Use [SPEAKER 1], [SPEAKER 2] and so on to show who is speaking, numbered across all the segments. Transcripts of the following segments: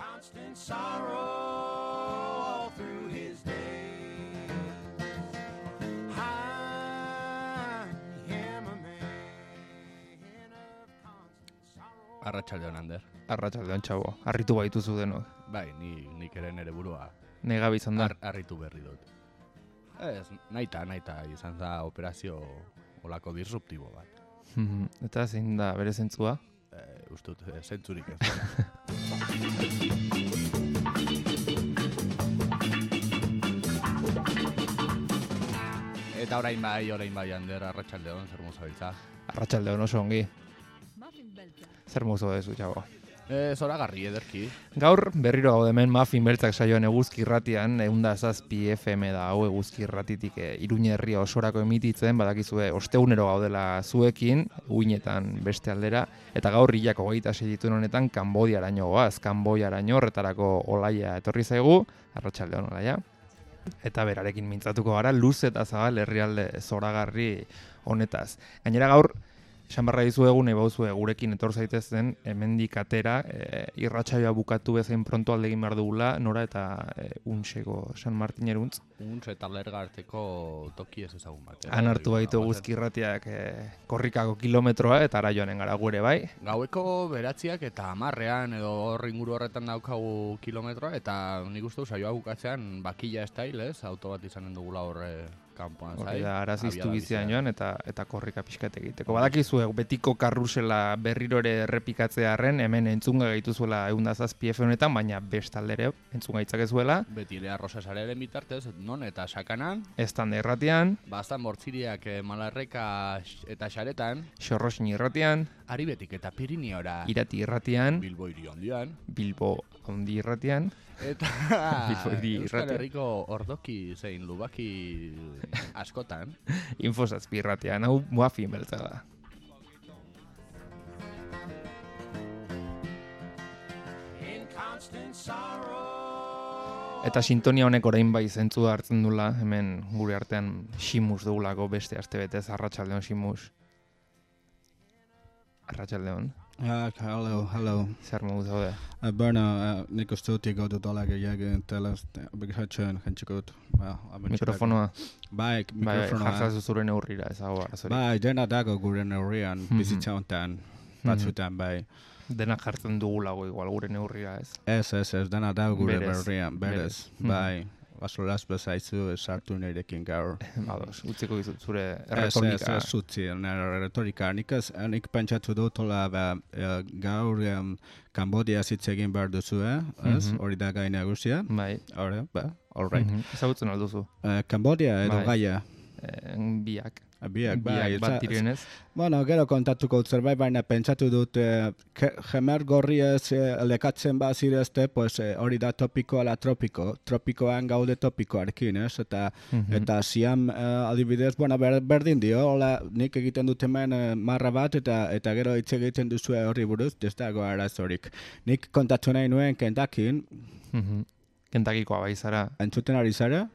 [SPEAKER 1] constant sorrow all through his days. I am a man of constant sorrow.
[SPEAKER 2] Arratsaldeon, Ander.
[SPEAKER 3] Arratsaldeon, txabo. Harritu baituzu denok.
[SPEAKER 2] Bai, nik ere nere burua
[SPEAKER 3] Negabi izan da.
[SPEAKER 2] harritu berri dut. Ez, naita izan da operazio olako disruptibo bat.
[SPEAKER 3] Eta zein da bere zentzua?
[SPEAKER 2] Ustut, zentzurik ez dela. Eta orain bai, Ander, arratsaldeon, zer mozabiltza?
[SPEAKER 3] Arratsaldeon oso ongi. Zer mozo dezu, txabo.
[SPEAKER 2] Zoragarri ederki.
[SPEAKER 3] Gaur berriro gaude hemen Muffin Beltzak saioan Eguzki Irratian, 107 FM da hau Eguzki Irratitik Iruña herria osorako emititzen, badakizue ostegunero gaudela zuekin, uinetan beste aldera, eta gaur hilak 26 dituen honetan Kanbodiaraino goaz, Kanbodiaraino horretarako Olaia etorri zaigu, arratsaldeon Olaia. Eta berarekin mintzatuko gara, luz eta zabal herrialde zoragarri honetaz. Gainera gaur, esan barra dizuegu, nahi bauzue gurekin etor zaitezen, hemendik atera, irratsaioa bukatu bezain pronto aldegin behar dugula, nora eta Unseko San Martin eruntz.
[SPEAKER 2] Uns eta Lerga arteko toki ez ezagun bat.
[SPEAKER 3] Han hartu baitu Eguzki Irratiak korrikako kilometroa, eta ara joanen gara gure bai.
[SPEAKER 2] Gaueko 9 eta 10 edo hor inguru horretan daukagu kilometroa, eta nik uste saioa bukatzean bakila style, ez? Auto bat izanen dugula horre kanpoan zai.
[SPEAKER 3] Da, araziztu bizian joan eta korrika pixkat egiteko. Badakizu, betiko karrusela berriro ere errepikatzearen, hemen entzunga gaituzuela 107 FM honetan, baina bestaldere entzunga itzakezuela.
[SPEAKER 2] Beti ere arrosasarearen bitartez, non eta sakanan.
[SPEAKER 3] Estanda irratian.
[SPEAKER 2] Bastan bortziriak Malarreka eta Xaretan.
[SPEAKER 3] Xorrosin irratian.
[SPEAKER 2] Aribetik eta Pirineora.
[SPEAKER 3] Irati irratian.
[SPEAKER 2] Bilbo hiri handian.
[SPEAKER 3] Bilbo handi irratian.
[SPEAKER 2] Eta Euskal Herriko ordoki zein lubaki askotan.
[SPEAKER 3] Infosazpi irratian, hau Muffin Beltza da. Eta sintonia honek orain bai zentzu hartzen dula, hemen gure artean Ximus dugulako beste astebetez, arratsaldeon Ximus. Arratsaldeon.
[SPEAKER 4] Hallo.
[SPEAKER 3] Zer modu zaude?
[SPEAKER 4] Berna, nik uste dut ikautu talaga jagin telaz, begiratxean jentxikut.
[SPEAKER 3] Mikrofonoa?
[SPEAKER 4] Bai, mikrofonoa.
[SPEAKER 3] Jartzazu zure neurrira, ez hau arazorik.
[SPEAKER 4] Bai, dena dago gure neurrian, bizitza honetan, batzutan, bai.
[SPEAKER 3] Dena jartzen dugulago igual gure neurrira, ez?
[SPEAKER 4] Ez, dena dago gure neurrian, berez, bai. Basolaz bezaizu sartu nirekin gaur.
[SPEAKER 3] Ados, utziko dizut zure retorika.
[SPEAKER 4] Ez utzi, retorika. Nik pentsatu dut gaur Kanbodia hitz egin behar duzu, ez? Hori da gai nagusia.
[SPEAKER 3] Bai.
[SPEAKER 4] All right.
[SPEAKER 3] Ezagutzen alduzu.
[SPEAKER 4] Kanbodia edo gaia?
[SPEAKER 3] Biak.
[SPEAKER 4] Biak, bai.
[SPEAKER 3] Bat direnez.
[SPEAKER 4] Bueno, gero kontatuko zerbait, baina pentsatu dut jemer gorri ez lekatzen bazirezte, pues hori da topiko ala tropiko. Tropikoan gaude topikoarekin, ez? Eta ziam adibidez, bueno, berdin dio, hola, nik egiten dut hemen marra bat, eta gero hitz egiten duzu horri buruz, ez dago arazorik. Nik kontatu nahi nuen Kentakin.
[SPEAKER 3] Kentakikoa bai zara.
[SPEAKER 4] Entzuten ari zara?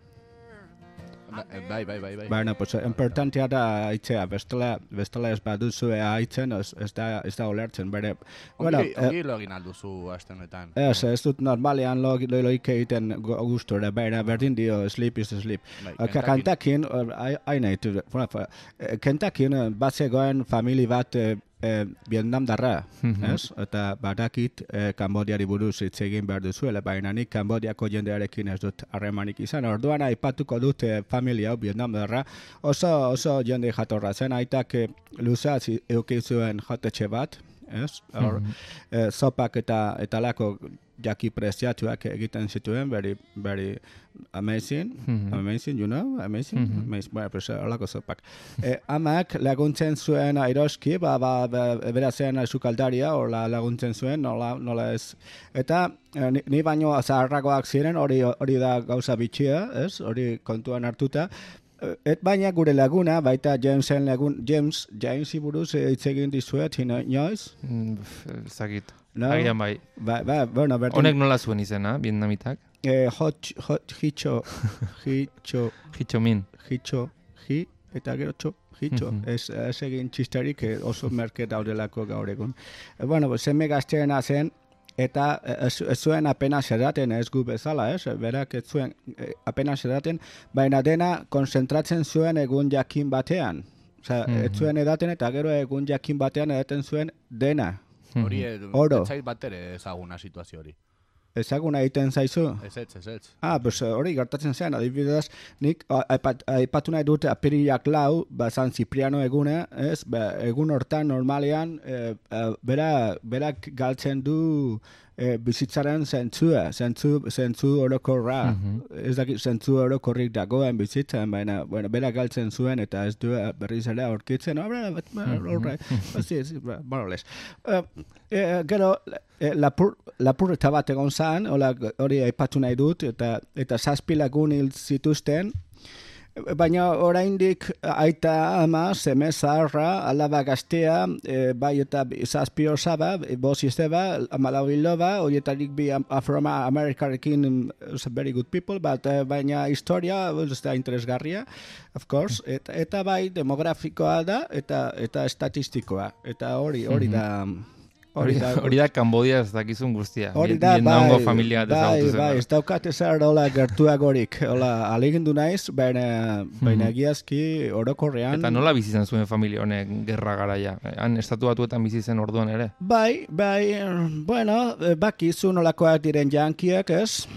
[SPEAKER 2] Bai.
[SPEAKER 4] Baina, pues, importantea da aitzea, bestela ez baduzu aitzen, ez da olertzen, bere.
[SPEAKER 2] Ongi lo egin alduzu aste honetan.
[SPEAKER 4] Ez dut normalean loik egiten gustura, baina berdin dio, sleep is sleep. Kentakin, Kentakin bazegoen famili bat Vietnam darra, ez? Eta badakit Kanbodiari buruz hitz egin behar duzuela, baina nik Kanbodiako jendearekin ez dut harremanik izan. Orduan aipatuko dut familia hau Vietnam darra, oso jende jatorra zen, aitak luzaz eukizuen jatetxe bat, ez? Sopak eta lako jaki preziatuak egiten zituen, very amazing, you know, amazing. Bueno, pues holako zopak. Amak laguntzen zuen airoski, berazen sukaldaria, hola laguntzen zuen, nola ez. Eta ni baino zaharragoak ziren, hori da gauza bitxia, ez? Hori kontuan hartuta. Baina gure laguna, baita James buruz hitz egin dizuet, inoiz?
[SPEAKER 3] Zagit. Agian bai.
[SPEAKER 4] Bueno,
[SPEAKER 3] honek nola zuen izena, vietnamitak?
[SPEAKER 4] Hicho Min. Eta gero Hitxo, ez egin txistarik oso merke daudelako gaur egun. Bueno, seme gazteena zen, eta ez zuen apenas edaten, ez gu bezala, ez? Berak ez zuen apenas edaten, baina dena konzentratzen zuen egun jakin batean. Osea, ez zuen edaten eta gero egun jakin batean edaten zuen dena.
[SPEAKER 2] Hori,
[SPEAKER 4] Oro.
[SPEAKER 2] ez zait bat ere ezaguna situazio hori.
[SPEAKER 4] Ezaguna egiten zaizu?
[SPEAKER 2] Ez.
[SPEAKER 4] Pues hori gertatzen zen, adibidez, nik aipatu nahi dut apirilak 4, San Cipriano eguna, ez? Egun hortan normalean berak galtzen du bizitzaren zentzu orokorra. Ez dakit zentzu orokorrik dagoen bizitzen, baina berak galtzen zuen eta ez du berriz ere aurkitzen. Gero, lapurreta bat egon zen, hori aipatu nahi dut, eta 7 lagun hil zituzten, baina oraindik aita ama, seme zaharra, alaba gaztea, bai eta 7 osaba, 5 izteba, 14 hiloba, horietarik bi Afroamerikarekin very good people, baina historia ez da interesgarria, of course, eta bai demografikoa da, eta estatistikoa, eta hori da...
[SPEAKER 3] Hori da Kambodia ez dakizun guztia.
[SPEAKER 4] Hori da,
[SPEAKER 3] familia
[SPEAKER 4] bai, ez daukat ezer hola gertuagorik. Hola, alegindu naiz, baina egiazki orokorrean...
[SPEAKER 3] Eta nola bizi zen zuen familia honek gerra garaia? Han estatu batuetan bizi zen orduan ere?
[SPEAKER 4] Bai, bueno, bakizu nolakoak diren jankiak, ez?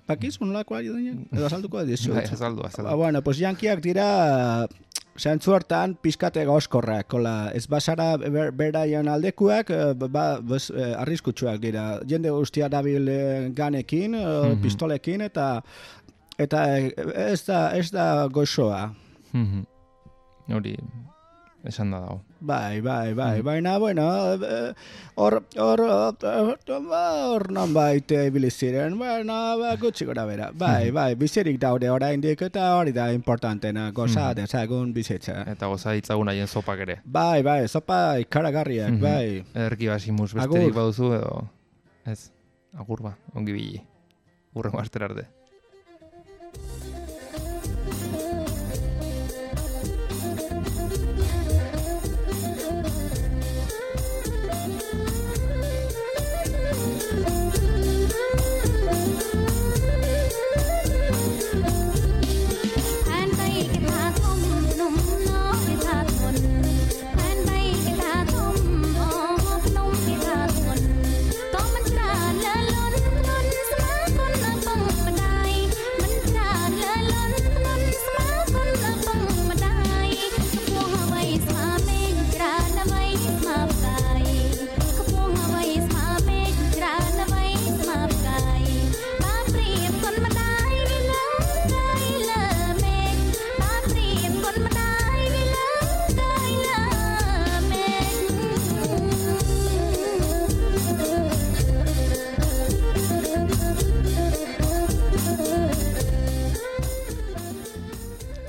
[SPEAKER 4] Bakizu nolakoak diren? Edo azalduko dizut.
[SPEAKER 3] Bai, azaldu.
[SPEAKER 4] Bueno, pues jankiak dira... Zentzu hortan pizkate gauzkorrak, ez basara beraien aldekuak, arriskutsuak dira. Jende guztia dabil ganekin, pistolekin, eta ez da gozoa.
[SPEAKER 3] Hori, esan da dago.
[SPEAKER 4] Bai, baina, bueno, hor non baite biliziren, baina, gutxi gora bera. Bai, bizirik daude oraindik eta hori da importantena, goza dezagun bizitza.
[SPEAKER 3] Eta goza ditzagun haien sopak ere.
[SPEAKER 4] Bai, sopa ikaragarriak, bai.
[SPEAKER 3] Ederki basimus besterik baduzu edo, ez, agur ba, ongi bili. Urrengo astera arte.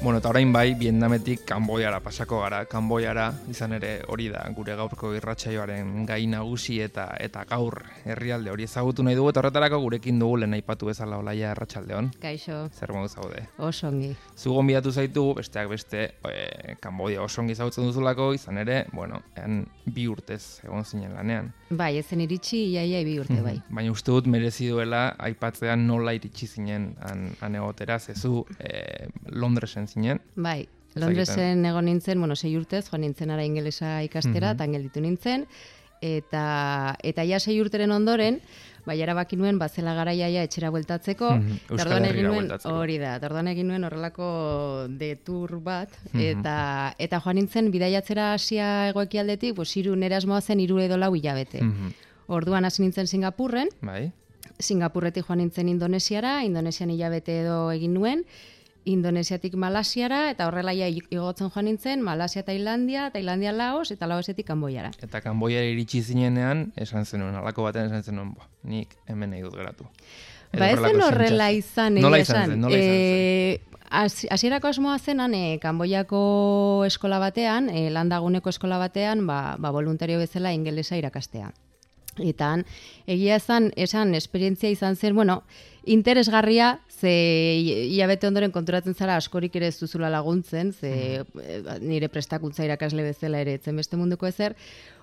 [SPEAKER 3] Bueno, eta orain bai, Vietnametik Kanboiara pasako gara. Kanboiara izan ere hori da gure gaurko irratsaioaren gai nagusi eta gaur herrialde hori ezagutu nahi dugu eta horretarako gurekin dugu lehen aipatu bezala Olaia Arratsaldeon.
[SPEAKER 5] Kaixo.
[SPEAKER 3] Zer modu zaude?
[SPEAKER 5] Oso ongi.
[SPEAKER 3] Zu gonbidatu zaitu, besteak beste, Kanboia oso ongi ezagutzen duzulako, izan ere, bueno, 2 urtez egon zinen lanean.
[SPEAKER 5] Bai, ezen iritsi iaia 2 urte bai.
[SPEAKER 3] Baina uste dut merezi duela aipatzean nola iritsi zinen han egotera, zezu Londresen zinen.
[SPEAKER 5] Bai, Londresen egon nintzen, 6 urtez, joan nintzen ara ingelesa ikastera, eta gelditu nintzen, eta ja 6 urteren ondoren, bai erabaki nuen bazela garaia etxera bueltatzeko,
[SPEAKER 3] Euskal Herrira bueltatzeko.
[SPEAKER 5] Hori da, orduan egin nuen horrelako detour bat, eta joan nintzen bidaiatzera Asia hegoekialdetik, nire asmoa zen 3 edo 4 hilabete. Orduan hasi nintzen Singapurren,
[SPEAKER 3] bai.
[SPEAKER 5] Singapurretik joan nintzen Indonesiara, Indonesian hilabete edo egin nuen, Indonesiatik Malasiara, eta horrela igotzen joan nintzen, Malasia, Tailandia Laos, eta Laosetik Kanboiara.
[SPEAKER 3] Eta Kanboiara iritsi zinenean, esan zenuen, alako baten esan zenuen, nik hemen nahi dut geratu.
[SPEAKER 5] Ba ez zen horrela izan,
[SPEAKER 3] nola izan zen?
[SPEAKER 5] Hasierako asmoa zenan, Kanboiako eskola batean, landaguneko eskola batean, voluntario bezala ingelesa irakastea. Eta egia esan esperientzia izan zen, interesgarria, ze hilabete ondoren konturatzen zara askorik ere ez duzula laguntzen, ze nire prestakuntza irakasle bezala ere etzen beste munduko ezer.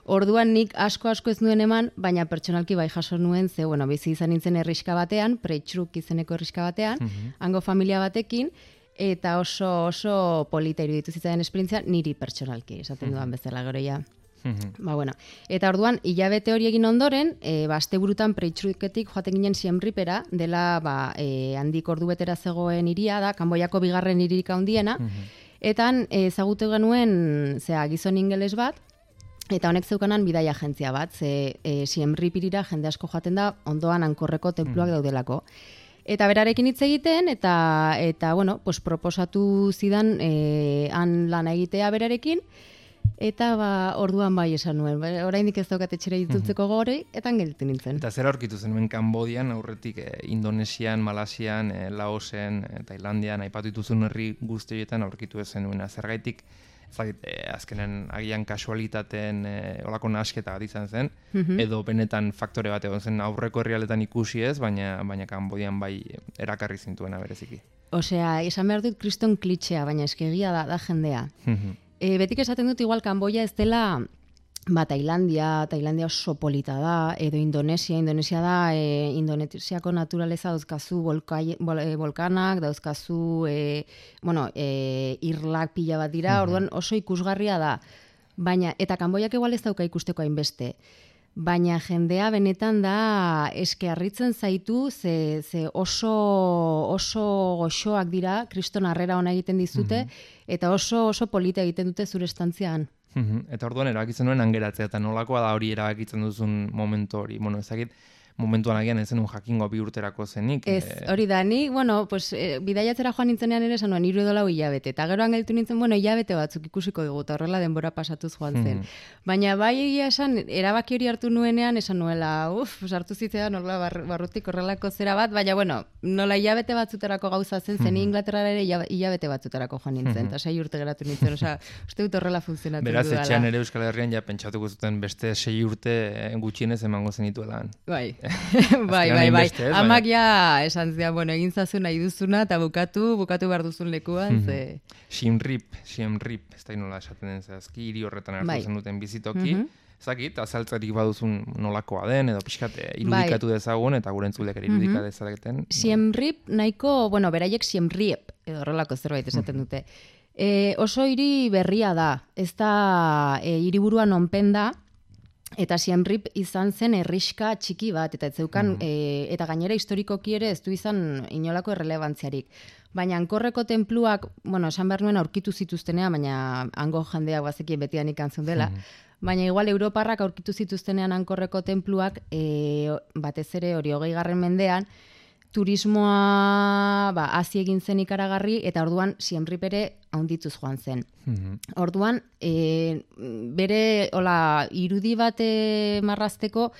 [SPEAKER 5] Orduan nik asko ez nuen eman, baina pertsonalki bai jaso nuen, ze, bueno, bizi izan nintzen herriska batean, Preitxruk izeneko herriska batean, hango familia batekin, eta oso polita iruditu zitzaidan esperientzia niri pertsonalki, esaten dudan bezala gero ja. Ba, bueno. Eta orduan, hilabete hori egin ondoren, asteburutan Preitxruketik joaten ginen Siem Reapera, dela handik ordubetera zegoen hiria da, Kanboiako bigarren hiririk handiena, eta ezagutu genuen gizon ingeles bat, eta honek zeukanan bidaia agentzia bat, Siem Reap hirira jende asko joaten da, ondoan Ankorreko tenpluak daudelako. Eta berarekin hitz egiten, eta bueno, pues proposatu zidan han lana egitea berarekin, eta orduan bai esan nuen. Oraindik ez daukat etxera itzultzeko gogori, eta gelditu nintzen.
[SPEAKER 3] Eta zer aurkitu zenuen Kanbodian, aurretik Indonesian, Malasian, Laosen, Tailandian, aipatu dituzun herri guzti horietan aurkitu ez zenuen. Zergaitik, azkenen agian kasualitateen olako nasketa bat izan zen, edo benetan faktore bat egon zen aurreko herrialdetan ikusi ez, baina Kanbodian bai erakarri zintuena bereziki.
[SPEAKER 5] Osea, esan behar dut kriston klitxea, baina eskegia da jendea. Betik esaten dut igual Kanboia ez dela Tailandia oso polita da, edo Indonesia da, Indonesiako naturaleza dauzkazu volkanak, dauzkazu irlak pila bat dira, orduan oso ikusgarria da. Baina, eta Kanboiak igual ez dauka ikusteko hainbeste. Baina jendea benetan da eske harritzen zaitu, ze oso goxoak dira, kriston harrera ona egiten dizute, eta oso polita egiten dute zure estantzian.
[SPEAKER 3] Eta orduan erabakitzen nuen angeratzea, eta nolakoa da hori erabakitzen duzun momentu hori. Bueno, ezagit, momentuan agian ez zenun jakingo 2 urterako zenik.
[SPEAKER 5] Ez, hori da, ni, bueno, pues, bidaiatzera joan nintzenean ere esan nuen, 3 edo 4 hilabete, eta gero gelditu nintzen, bueno, hilabete batzuk ikusiko dugu, eta horrela denbora pasatuz joan zen. Baina bai egia esan, erabaki hori hartu nuenean, esan nuela, sartu zitzean horrela barrutik horrelako zera bat, baina, bueno, nola hilabete batzuterako gauza zen, zen Inglaterra ere hilabete batzuterako joan nintzen, eta 6 urte geratu nintzen, osea, uste dut horrela funtzionatu dudala.
[SPEAKER 3] Beraz, etxean ere Euskal Herrian ja pentsatuko zuten beste 6 urte gutxienez emango zenituelan.
[SPEAKER 5] Bai. Bai. Amak ja esan zian, bueno, egin zazu nahi duzuna eta bukatu behar duzun lekuan, ze...
[SPEAKER 3] Siem Reap, ez da nola esaten den zehazki, hiri horretan hartu zen duten bizitoki. Zakit, azaltzarik baduzun nolakoa den, edo pixkat irudikatu dezagun, eta gure entzulek ere irudika dezaketen.
[SPEAKER 5] Siem Reap nahiko, bueno, beraiek Siem Reap, edo horrelako zerbait esaten dute. Oso hiri berria da, ez da hiriburuan onpen da, eta Siem Reap izan zen herriska txiki bat, eta ez zeukan, eta gainera historikoki ere ez du izan inolako errelebantziarik. Baina Ankorreko tenpluak, bueno, esan behar nuen aurkitu zituztenean, baina hango jendeak bazekien betian ikantzun dela, baina igual Europarrak aurkitu zituztenean Ankorreko tenpluak, batez ere hori 20. mendean, turismoa hasi egin zen ikaragarri, eta orduan Siem Reap ere haundituz joan zen. Orduan, bere irudi bat marrazteko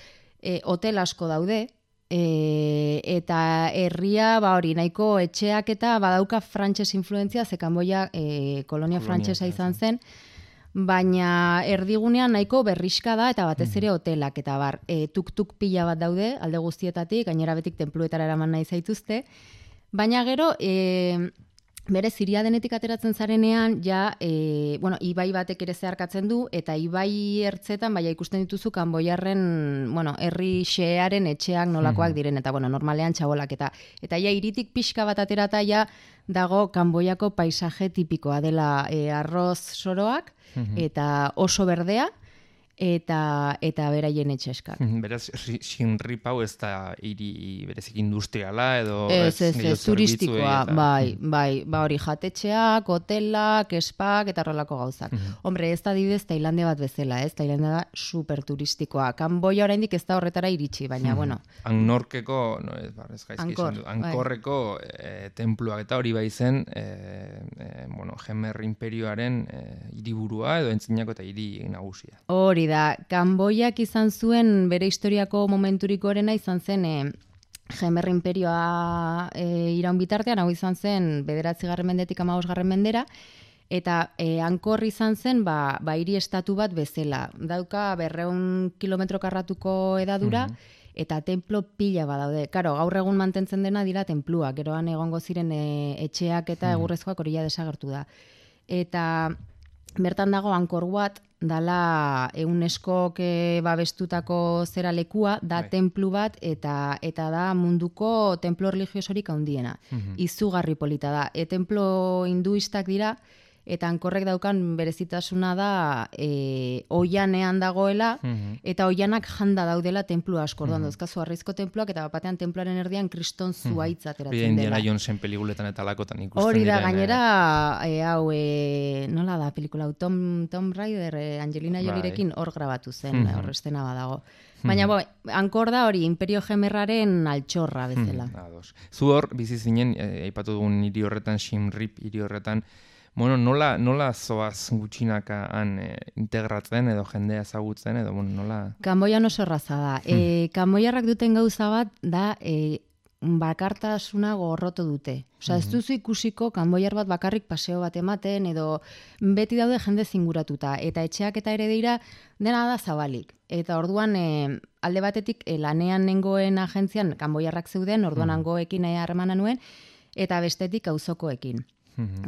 [SPEAKER 5] hotel asko daude, eta herria hori nahiko etxeak eta badauka frantses influentzia, ze Kanboia kolonia frantsesa izan zen, baina erdigunean nahiko berriska da eta batez ere hotelak eta tuk-tuk pila bat daude alde guztietatik, gainera betik tenpluetara eraman nahi zaituzte, baina gero bere Ziria denetik ateratzen zarenean ja, ibai batek ere zeharkatzen du, eta ibai ertzetan ikusten dituzu Kanboiarren, herri xearen etxeak nolakoak diren, eta normalean txabolak, eta ja hiritik pixka bat aterata ja dago Kanboiako paisaje tipikoa dela arroz soroak, eta oso berdea, eta beraien etxeskak.
[SPEAKER 3] Beraz, Siem Reap hau ez da hiri berezik industriala edo...
[SPEAKER 5] Ez, turistikoa, bai, hori jatetxeak, hotelak, espak eta horrelako gauzak. Hombre, ez da dibidez Tailandia bat bezala, ez? Tailandia da super turistikoa. Kanboia oraindik ez da horretara iritsi, baina, bueno...
[SPEAKER 3] Ankorreko, Ankorreko tenpluak eta hori bai zen, Jemer imperioaren hiriburua edo entzinako eta hiri nagusia.
[SPEAKER 5] Hori da, Kanboiak izan zuen bere historiako momenturiko erena izan zen Jemer imperioa iraun bitartean, hau izan zen 9. mendetik 15. mendera, eta Angkor izan zen hiri estatu bat bezala. Dauka 200 kilometro karratuko edadura, eta templo pila badaude. Karo, gaur egun mantentzen dena dira tenpluak, geroan egongo ziren etxeak eta egurrezkoak hori ja desagertu da. Eta bertan dago Angkor Wat, dala UNESCOk babestutako zera lekua, da tenplu bat, eta da munduko templo religiosorik handiena. Izugarri polita da. Templo hinduistak dira, eta hankorrek daukan berezitasuna da oianean dagoela, eta oianak janda daudela tenplu asko. Orduan dauzkazu harrizko tenpluak, eta batean tenpluaren erdian kriston zuaitz ateratzen dela.
[SPEAKER 3] Indiana Jonesen pelikuletan eta lakotan ikusten
[SPEAKER 5] hori da,
[SPEAKER 3] diren,
[SPEAKER 5] gainera, nola da pelikula, Tom Raider, Angelina Jolierekin hor grabatu zen, hor estena badago. Baina, hankor da hori, Imperio Gemerraren altxorra bezala.
[SPEAKER 3] Zu hor, bizi zinen, aipatu dugun hiri horretan, Siem Reap hiri horretan, bueno, nola zoaz gutxinaka han integratzen edo jendea ezagutzen edo nola...
[SPEAKER 5] Kanboian oso erraza da. Kanboiarrak duten gauza bat da bakartasuna gorroto dute. Osea, ez duzu ikusiko kanboiar bat bakarrik paseo bat ematen edo beti daude jende zinguratuta. Eta etxeak eta ere dira dena da zabalik. Eta orduan alde batetik lanean nengoen agentzian kanboiarrak zeuden, orduan hangoekin harremana nuen, eta bestetik auzokoekin.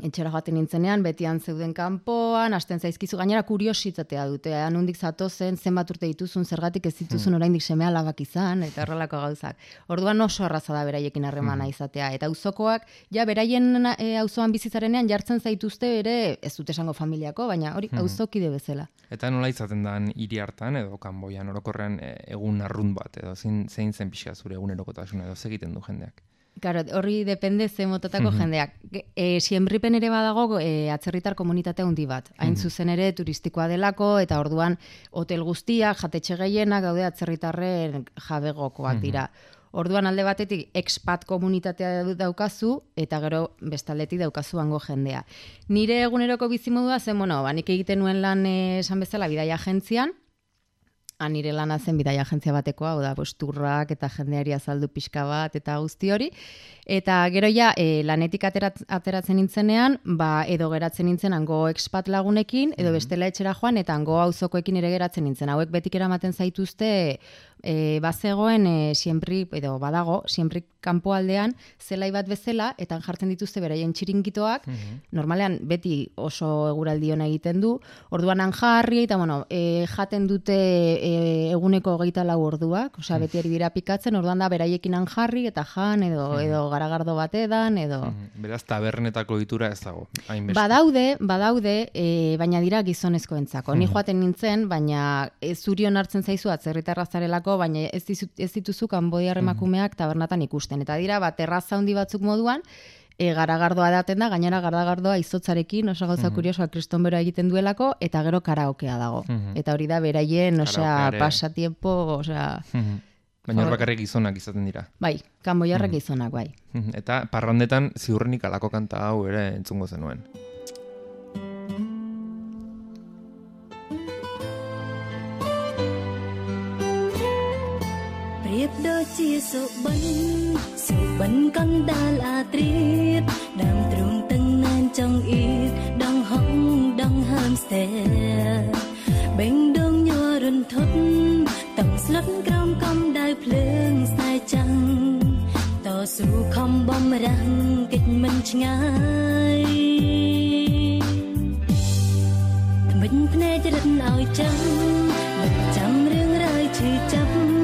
[SPEAKER 5] Etxera joaten nintzenean, betian zeuden kanpoan, hasten zaizkizu, gainera kuriositatea dute, handik zatozen, zenbat urte dituzun, zergatik ez dituzun oraindik seme alabak izan, eta horrelako gauzak. Orduan oso arraza da beraiekin harremana izatea, eta auzokoak, ja beraien auzoan bizitzarenean jartzen zaituzte ere, ez dute esango familiako, baina hori auzokide bezala.
[SPEAKER 3] Eta nola izaten dan hiri hartan, edo kanboian orokorrean egun arrunt bat, edo zein zen pixka zure egunerokotasuna, edo segiten du jendeak?
[SPEAKER 5] Claro, horri depende ze motatako jendeak. Siem Reapen ere badago atzerritar komunitate handi bat. Hain zuzen ere turistikoa delako, eta orduan hotel guztiak, jatetxe gehienak daude atzerritarren jabegokoak dira. Orduan alde batetik expat komunitatea daukazu, eta gero bestaldetik daukazu hango jendea. Nire eguneroko bizimodua zen, nik egiten nuen lan esan bezala bidaia agentzian, nire lana zen bidaia agentzia batekoa, turrak eta jendeari azaldu pixka bat eta guzti hori. Eta gero ja, lanetik ateratzen nintzenean, edo geratzen nintzen hango expat lagunekin, edo bestela etxera joan, eta hango auzokoekin ere geratzen nintzen. Hauek betik eramaten zaituzte, bazegoen Siem Reap, edo badago, Siem Reap kanpoaldean, zelai bat bezala, eta jartzen dituzte beraien txiringitoak, normalean beti oso eguraldi ona egiten du, orduan han jarri, eta jaten dute eguneko 24 orduak, osea beti ari dira pikatzen, orduan da beraiekin han jarri, eta jan, edo garagardo batedan, edo...
[SPEAKER 3] Beraz, tabernetako ditura ez dago, hainbeste.
[SPEAKER 5] Badaude, baina dira gizonezkoentzako. Ni joaten nintzen, baina zurion hartzen zaizu atzerritarra zarelako, baina ez dituzu kanboiar emakumeak tabernatan ikusten. Eta dira, terraza handi batzuk moduan, garagardoa edaten da, gainera garagardoa izotzarekin, oso gauza kuriosoa kriston bero egiten duelako, eta gero karaokea dago. Eta hori da, beraien, pasatiempo,
[SPEAKER 3] Baina hor bakarrik gizonak izaten dira.
[SPEAKER 5] Bai, kanboiarrak gizonak, bai.
[SPEAKER 3] Eta parrandetan ziurrenik alako kanta hau ere entzungo zenuen.
[SPEAKER 6] Priep đôi chia sầu bánh con đa là triết đam trung tân nan trong ít đang hóng đang hamster bên đông nhua run thốt tầm slot cam cam đai phượng sai trăngต่อสู้คำบ่มรังกิจมันง่ายmìnhพเนจรนเอาจังมันจำเรื่องรายชื่อจ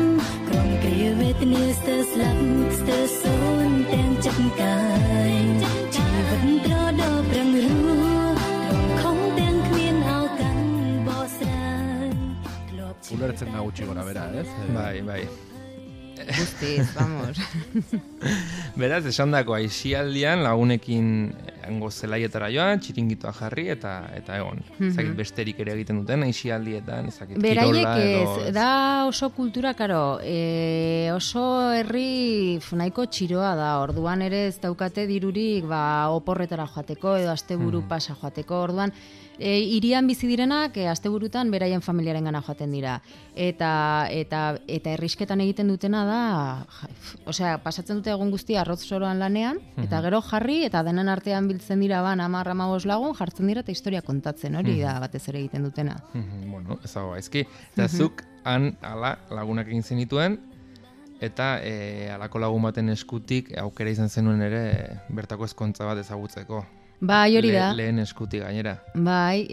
[SPEAKER 6] ำกรมเกลียวเวทเนียสเตอร์สลับสเตอร์โซนแตงจับกายชีวิตตรอดอปรังรู้ตรงของแตงเมียนเอากันบ่สาย
[SPEAKER 2] Ulertzen da gutxi gora bera, ez?
[SPEAKER 3] Bai.
[SPEAKER 5] Guztiz, vamos.
[SPEAKER 3] Beraz, esan dako, aixialdian lagunekin hango zelaietara joan, txiringitoa jarri eta egon. Ezakit besterik ere egiten duten, aixialdietan, ezakit kirola edo...
[SPEAKER 5] Da oso kultura, karo, oso herri nahiko txiroa da, orduan ere ez daukate dirurik oporretara joateko edo asteburu pasa joateko, orduan hirian bizi direnak asteburutan beraien familiarengana joaten dira. Eta herrisketan egiten dutena da, osea, pasatzen dute egun guztia arroz soroan lanean, eta gero jarri, eta denen artean biltzen dira 10-15 lagun, jartzen dira eta historia kontatzen, hori da batez ere egiten dutena.
[SPEAKER 3] Bueno, ez dago gaizki. Eta zuk han ala lagunak egin zenituen, eta halako lagun baten eskutik aukera izan zenuen ere bertako ezkontza bat ezagutzeko.
[SPEAKER 5] Bai, hori da.
[SPEAKER 3] Lehen eskuti gainera.
[SPEAKER 5] Bai,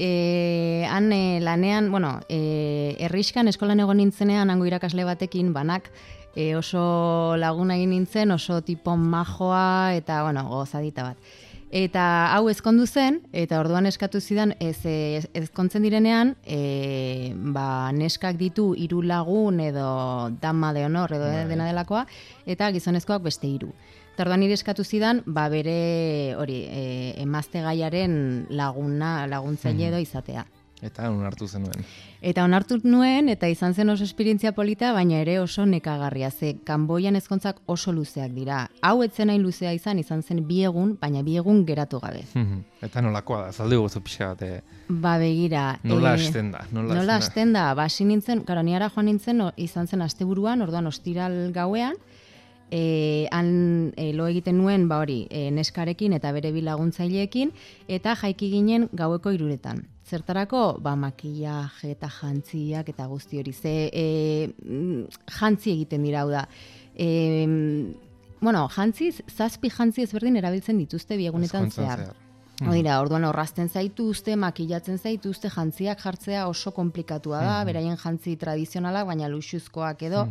[SPEAKER 5] han lanean, bueno, herrixkan eskolan egon nintzenean, hango irakasle batekin, banak, oso laguna egin nintzen, oso tipo majoa eta, bueno, gozadita bat. Eta hau ezkondu zen, eta orduan eskatu zidan, ezkontzen direnean, neskak ditu 3 lagun edo dama de honor edo dena delakoa, eta gizonezkoak beste 3. Eta orduan nire eskatu zidan, bere hori, emazte gaiaren laguntzaile edo izatea.
[SPEAKER 3] Eta onartu zenuen.
[SPEAKER 5] Eta onartu nuen, eta izan zen oso esperientzia polita, baina ere oso nekagarria. Ze Kanboian ezkontzak oso luzeak dira. Hau etzen hain luzea izan zen 2 egun, baina 2 egun geratu gabe.
[SPEAKER 3] Eta nolakoa da, zaldi gozu pixka bat.
[SPEAKER 5] Begira.
[SPEAKER 3] Nola hasten da?
[SPEAKER 5] Nola hasten da? Hasi nintzen, karo, niara joan nintzen, izan zen asteburuan, orduan ostiral gauean, han lo egiten nuen, neskarekin eta bere 2 laguntzaileekin, eta jaiki ginen gaueko 3:00. Zertarako, makillaje eta jantziak eta guzti hori. Jantzi egiten dira, hau da. Jantziz, 7 jantzi ezberdin erabiltzen dituzte 2 egunetan zehar. Dira, orduan orrazten zaituzte, makillatzen zaituzte, jantziak jartzea oso komplikatua da, beraien jantzi tradizionalak, baina luxuzkoak edo.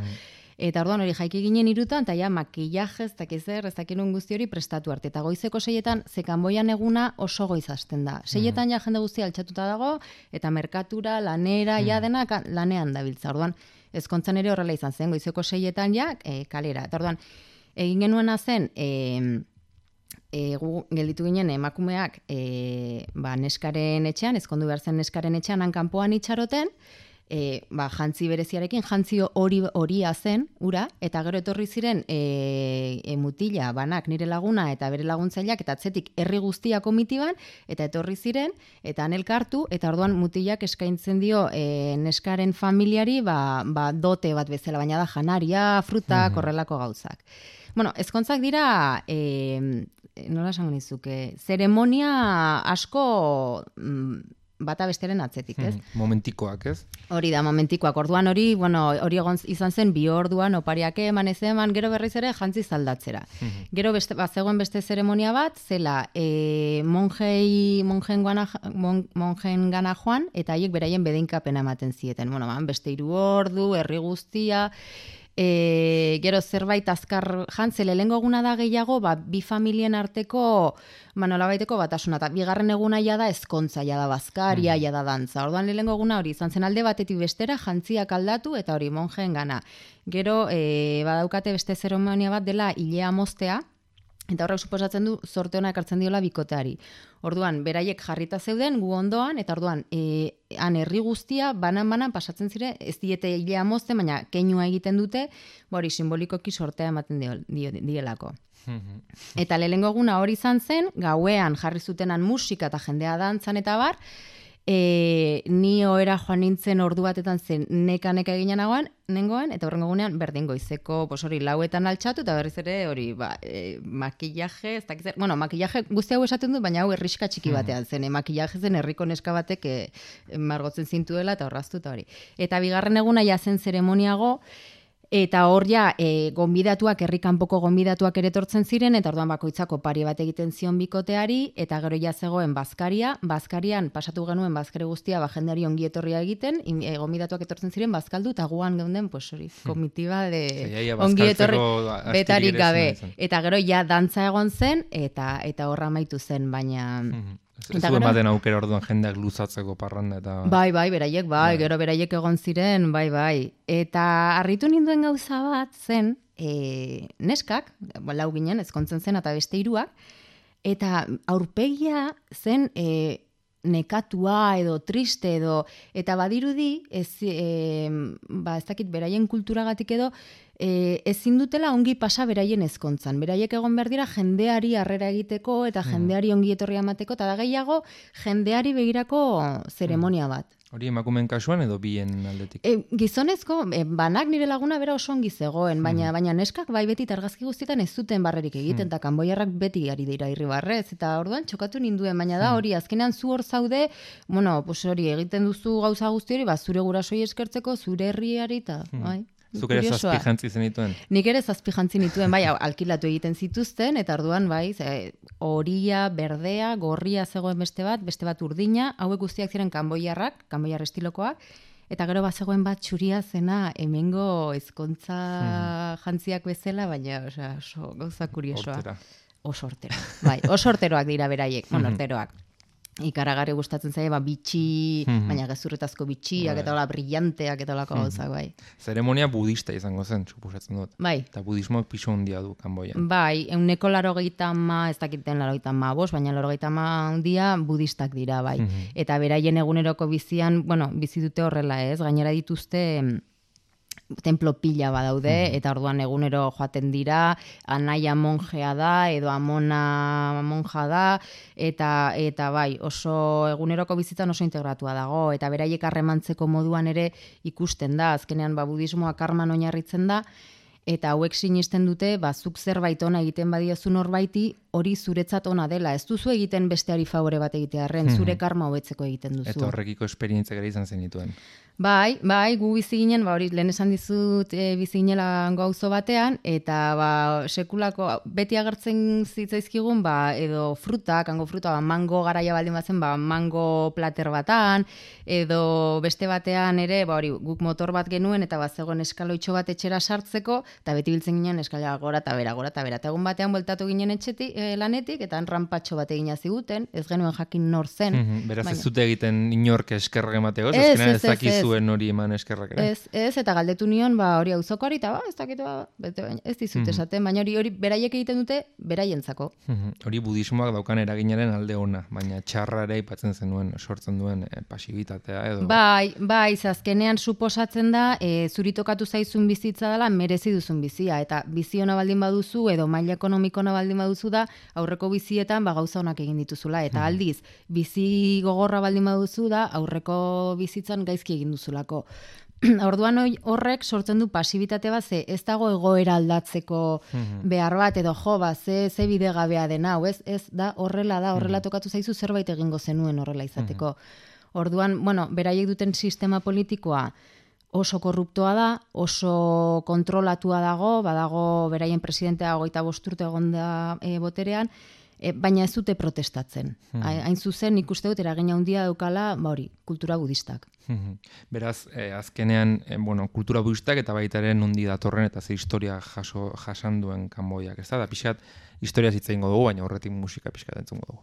[SPEAKER 5] Eta orduan hori jaiki ginen 3:00, eta ja makillaje, ez dakinun guzti hori prestatu arte. Eta goizeko 6:00, ze Kanboian eguna oso goiz hasten da. 6:00 ja jende guztia altxatuta dago, eta merkatura, lanera, ja denak lanean dabiltza. Orduan, ezkontzan ere horrela izan zen, goizeko 6:00 ja kalera. Eta orduan, egin genuena zen, gu gelditu ginen emakumeak neskaren etxean, ezkondu behar zen neskaren etxean, han kanpoan itxaroten, jantzi bereziarekin, jantzi horia zen, ura, eta gero etorri ziren mutila, banak nire laguna eta bere laguntzaileak, eta atzetik herri guztia komitiban, eta etorri ziren, eta han elkartu, eta orduan mutilak eskaintzen dio neskaren familiari, dote bat bezala, baina da janaria, fruta, korrelako gauzak. Bueno, ezkontzak dira, nola esango nizuke, zeremonia asko bata besteren atzetik, ez?
[SPEAKER 3] Momentikoak, ez?
[SPEAKER 5] Hori da, momentikoak. Orduan hori egon izan zen 2 orduan, opariak eman, gero berriz ere jantzi zaldatzera. Gero zegoen beste zeremonia bat, zela monjen gana joan, eta haiek beraien bedeinkapena ematen zieten. Beste 3 ordu, herri guztia, gero zerbait azkar jantzele, lehengo eguna da gehiago, 2 familien arteko nolabaiteko batasuna, eta 2. eguna ja da ezkontza, ja da bazkaria, ja da dantza. Orduan lehengo eguna hori izan zen alde batetik bestera, jantziak aldatu, eta hori monjen gana. Gero, badaukate beste zeremonia bat dela hilea moztea, eta horrek suposatzen du zorte ona ekartzen diola bikoteari. Orduan, beraiek jarrita zeuden, gu ondoan, eta orduan, han herri guztia, banan pasatzen zire, ez diete hilea mozten, baina keinua egiten dute, hori simbolikoki sortea ematen dielako. Eta lehengo eguna hori izan zen, gauean jarri zutenan musika eta jendea dantzan eta bar, ni ohera joan nintzen ordu batetan zen neka eginen nengoen, eta horrengo egunean berdin goizeko, hori 4:00 altxatu, eta berriz ere hori, makillaje, ez dakit zer, makillaje guzti hau esaten du, baina hau herriska txiki batean zen, makillaje zen herriko neska batek margotzen zintuela eta horraztu eta hori. Eta 2. eguna ja zen zeremoniago, eta hor ja, gonbidatuak, herri kanpoko gonbidatuak ere etortzen ziren, eta orduan bakoitzako pari bat egiten zion bikoteari, eta gero ja zegoen bazkarian pasatu genuen bazkari guztia, jendeari ongi etorria egiten, gonbidatuak etortzen ziren bazkaldu, eta guan geunden, hori, komitiba de ongi etorri betarik gabe. Eta gero ja dantza egon zen, eta horra amaitu zen, baina...
[SPEAKER 3] Ez zuen baten aukera orduan jendeak luzatzeko parranda eta...
[SPEAKER 5] Bai, beraiek, gero beraiek egon ziren, bai. Eta harritu ninduen gauza bat zen, neskak, lau ginen, ezkontzen zen, eta beste 3, eta aurpegia zen nekatua edo triste edo, eta badirudi, ez dakit beraien kulturagatik edo, ezin dutela ongi pasa beraien ezkontzan. Beraiek egon behar dira jendeari harrera egiteko eta jendeari ongi etorria emateko, eta da gehiago jendeari begirako zeremonia bat.
[SPEAKER 3] Hori emakumeen kasuan edo bien aldetik?
[SPEAKER 5] Gizonezko, banak nire laguna bera oso ongi zegoen, baina neskak bai beti argazki guztietan ez zuten barrerik egiten, eta kanboiarrak beti ari dira irribarrez, eta orduan txokatu ninduen, baina da hori, azkenean zu hor zaude, hori egiten duzu gauza guzti hori, zure gurasoi eskertzeko, zure herriari, eta bai.
[SPEAKER 3] Zuk ere
[SPEAKER 5] kuriosoa.
[SPEAKER 3] zazpi jantzi zenituen?
[SPEAKER 5] Nik ere zazpi jantzi nituen, bai, alkilatu egiten zituzten, eta orduan, bai, horia, berdea, gorria zegoen beste bat urdina, hauek guztiak ziren kanboiarrak, kanboiar estilokoak, eta gero bazegoen bat txuria zena hemengo ezkontza jantziak bezala, baina oso gauza kuriosoa.
[SPEAKER 3] Hortera.
[SPEAKER 5] Oso hortero. Bai, oso horteroak dira beraiek, horteroak. Ikaragarri gustatzen zaie, bitxi, baina gezurretazko bitxiak, eta hola brillanteak, eta holako gauzak, bai.
[SPEAKER 3] Zeremonia budista izango zen, suposatzen dut.
[SPEAKER 5] Bai.
[SPEAKER 3] Eta budismoak pisu handia du Kanboian.
[SPEAKER 5] Bai, 180, ez dakiten 85, baina 80 handia budistak dira, bai. Eta beraien eguneroko bizian, bizi dute horrela ez, gainera dituzte templo pila badaude, eta orduan egunero joaten dira, anaia monjea da, edo amona monja da, eta bai, oso eguneroko bizitzan oso integratua dago, eta beraiek harremantzeko moduan ere ikusten da, azkenean budismoa karman oinarritzen da, eta hauek sinisten dute, zuk zerbait ona egiten badiozu norbaiti, hori zuretzat ona dela. Ez duzu egiten besteari favore bat egitearren, zure karma hobetzeko egiten duzu.
[SPEAKER 3] Eta horrekiko esperientzia gara izan zenituen.
[SPEAKER 5] Bai, gu bizi ginen, hori lehen esan dizut bizi ginela gauzo batean, eta sekulako, beti agertzen zitzaizkigun, edo frutak, hango fruta, mango garaia baldin bazen, mango plater batan, edo beste batean ere, hori guk motor bat genuen, eta zegoen eskaloitxo bat etxera sartzeko, eta beti biltzen ginen eskala gora eta bera. Eta egun batean bueltatu ginen etxetik, lanetik, eta ranpatxo bat egina ziguten, ez genuen jakin nor zen.
[SPEAKER 3] Beraz ez zute egiten inork eskerrak emateko, azkenean ez dakizuen hori eman eskerrak ere.
[SPEAKER 5] Ez, eta galdetu nion, hori auzokoari, eta ez dakit, ez dizut esaten, baina hori beraiek egiten dute, beraientzako.
[SPEAKER 3] Hori budismoak daukan eraginaren alde ona, baina txarra ere aipatzen zenuen, sortzen duen pasibitatea edo.
[SPEAKER 5] Bai, azkenean suposatzen da, zuri tokatu zaizun bizitza dela, merezi duzun bizia, eta bizi ona baldin baduzu, edo maila ekonomiko ona baldin baduzu da, aurreko bizietan gauza onak egin dituzula, eta aldiz, bizi gogorra baldin baduzu da, aurreko bizitzan gaizki egin duzulako. Orduan horrek sortzen du pasibitate bat, ez dago egoera aldatzeko behar bat, edo ze bidegabea dena, ez da horrela tokatu zaizu zerbait egingo zenuen horrela izateko. Orduan, beraiek duten sistema politikoa oso korruptoa da, oso kontrolatua dago, badago beraien presidentea 25 urte egon da boterean, baina ez dute protestatzen. Hain zuzen, ikuste dut eragina handia daukala, hori, kultura budistak.
[SPEAKER 3] Beraz, azkenean, kultura budistak eta baita ere nondi datorren eta ze historia jasan duen Kanboiak, ez da pixkat historia hitz egingo dugu, baina horretik musika pixkat entzungo dugu.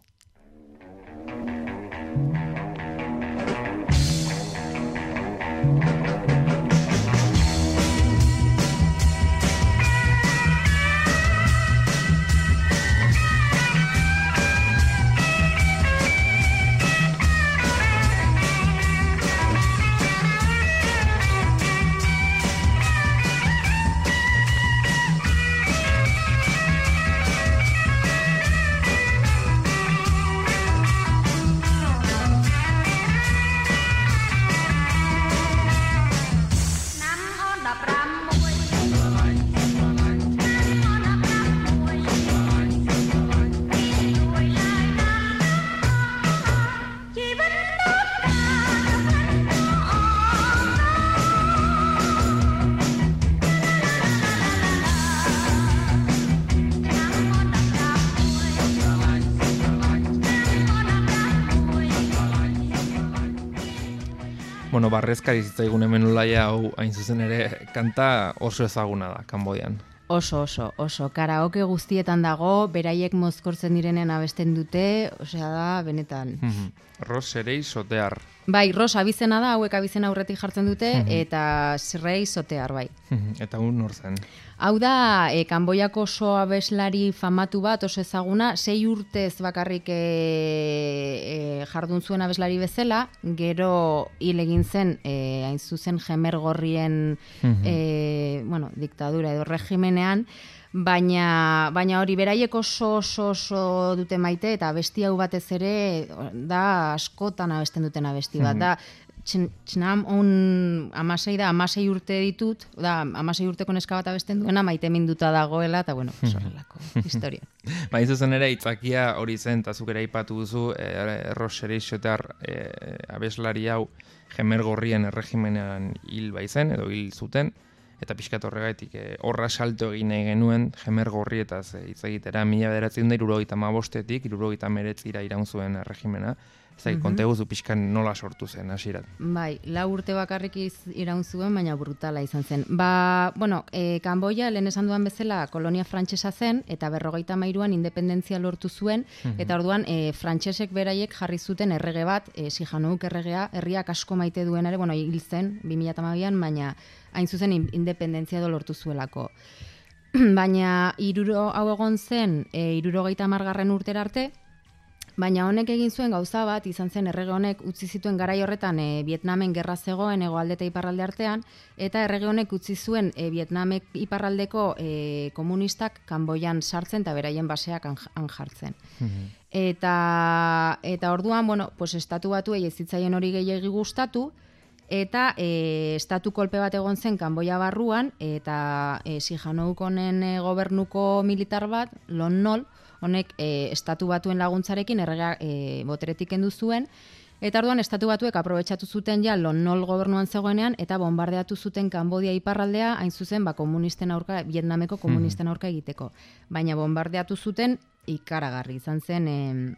[SPEAKER 3] Barrezkari zitzaigun hemen ulaia hau hain zuzen ere kanta oso ezaguna da Kanboian.
[SPEAKER 5] Oso. Karaoke guztietan dago, beraiek mozkortzen direnen abesten dute, osea da, benetan.
[SPEAKER 3] Ros Serei Sotear.
[SPEAKER 5] Bai, Ros abizena da, hauek abizena aurretik jartzen dute, eta Serei Sotear, bai.
[SPEAKER 3] Eta nor zen?
[SPEAKER 5] Hau da, Kanboiako oso abeslari famatu bat, oso ezaguna, 6 urtez bakarrik jardun zuen abeslari bezala, gero hil egin zen, hain zuzen Jemergorrien diktadura edo regimenean, baina hori beraiek oso dute maite, eta abesti hau batez ere da askotan abesten duten abesti bat, da Txinam amasei urte ditut, da, 16 urteko neska bat abesten duena, maite minduta dagoela, eta horrelako historia.
[SPEAKER 3] Zuzen ere, itzakia hori zen, eta zuk ere aipatu duzu, Ros Serei Sotear abeslari hau Jemergorrien erregimenean hil baizen, edo hil zuten, eta pixkat horregaitik horra salto egin nahi genuen Jemer Gorrietaz hitz egitera 1975etik 1979 iraun zuen erregimena. Zai, konteguzu pixkan nola sortu zen hasieran.
[SPEAKER 5] Bai, 4 urte bakarrik iraun zuen, baina brutala izan zen. Kanboia, lehen esan duan bezala, kolonia frantsesa zen, eta 53an independentzia lortu zuen, eta orduan frantsesek beraiek jarri zuten errege bat, Sihanouk erregea, herriak asko maite duenare, hil zen, 2012an, baina hain zuzen independentzia lortu zuelako. Baina hau egon zen, 70 urtera arte, baina honek egin zuen gauza bat, izan zen errege honek utzi zituen garai horretan Vietnamen gerra zegoen hegoalde eta iparralde artean, eta errege honek utzi zuen Vietnamek iparraldeko komunistak Kanboian sartzen eta beraien baseak han jartzen. Eta orduan, estatu batuei ez zitzaien hori gehiegi gustatu, eta estatu kolpe bat egon zen Kanboia barruan, eta Sihanouk honen gobernuko militar bat, Lon Nol, honek estatu batuen laguntzarekin erregea boteretik kendu zuen, eta orduan estatu batuek aprobetxatu zuten ja Lon Nol gobernuan zegoenean, eta bombardeatu zuten Kanbodia iparraldea, hain zuzen komunisten aurka, Vietnameko komunisten aurka egiteko. Baina bombardeatu zuten ikaragarri, izan zen,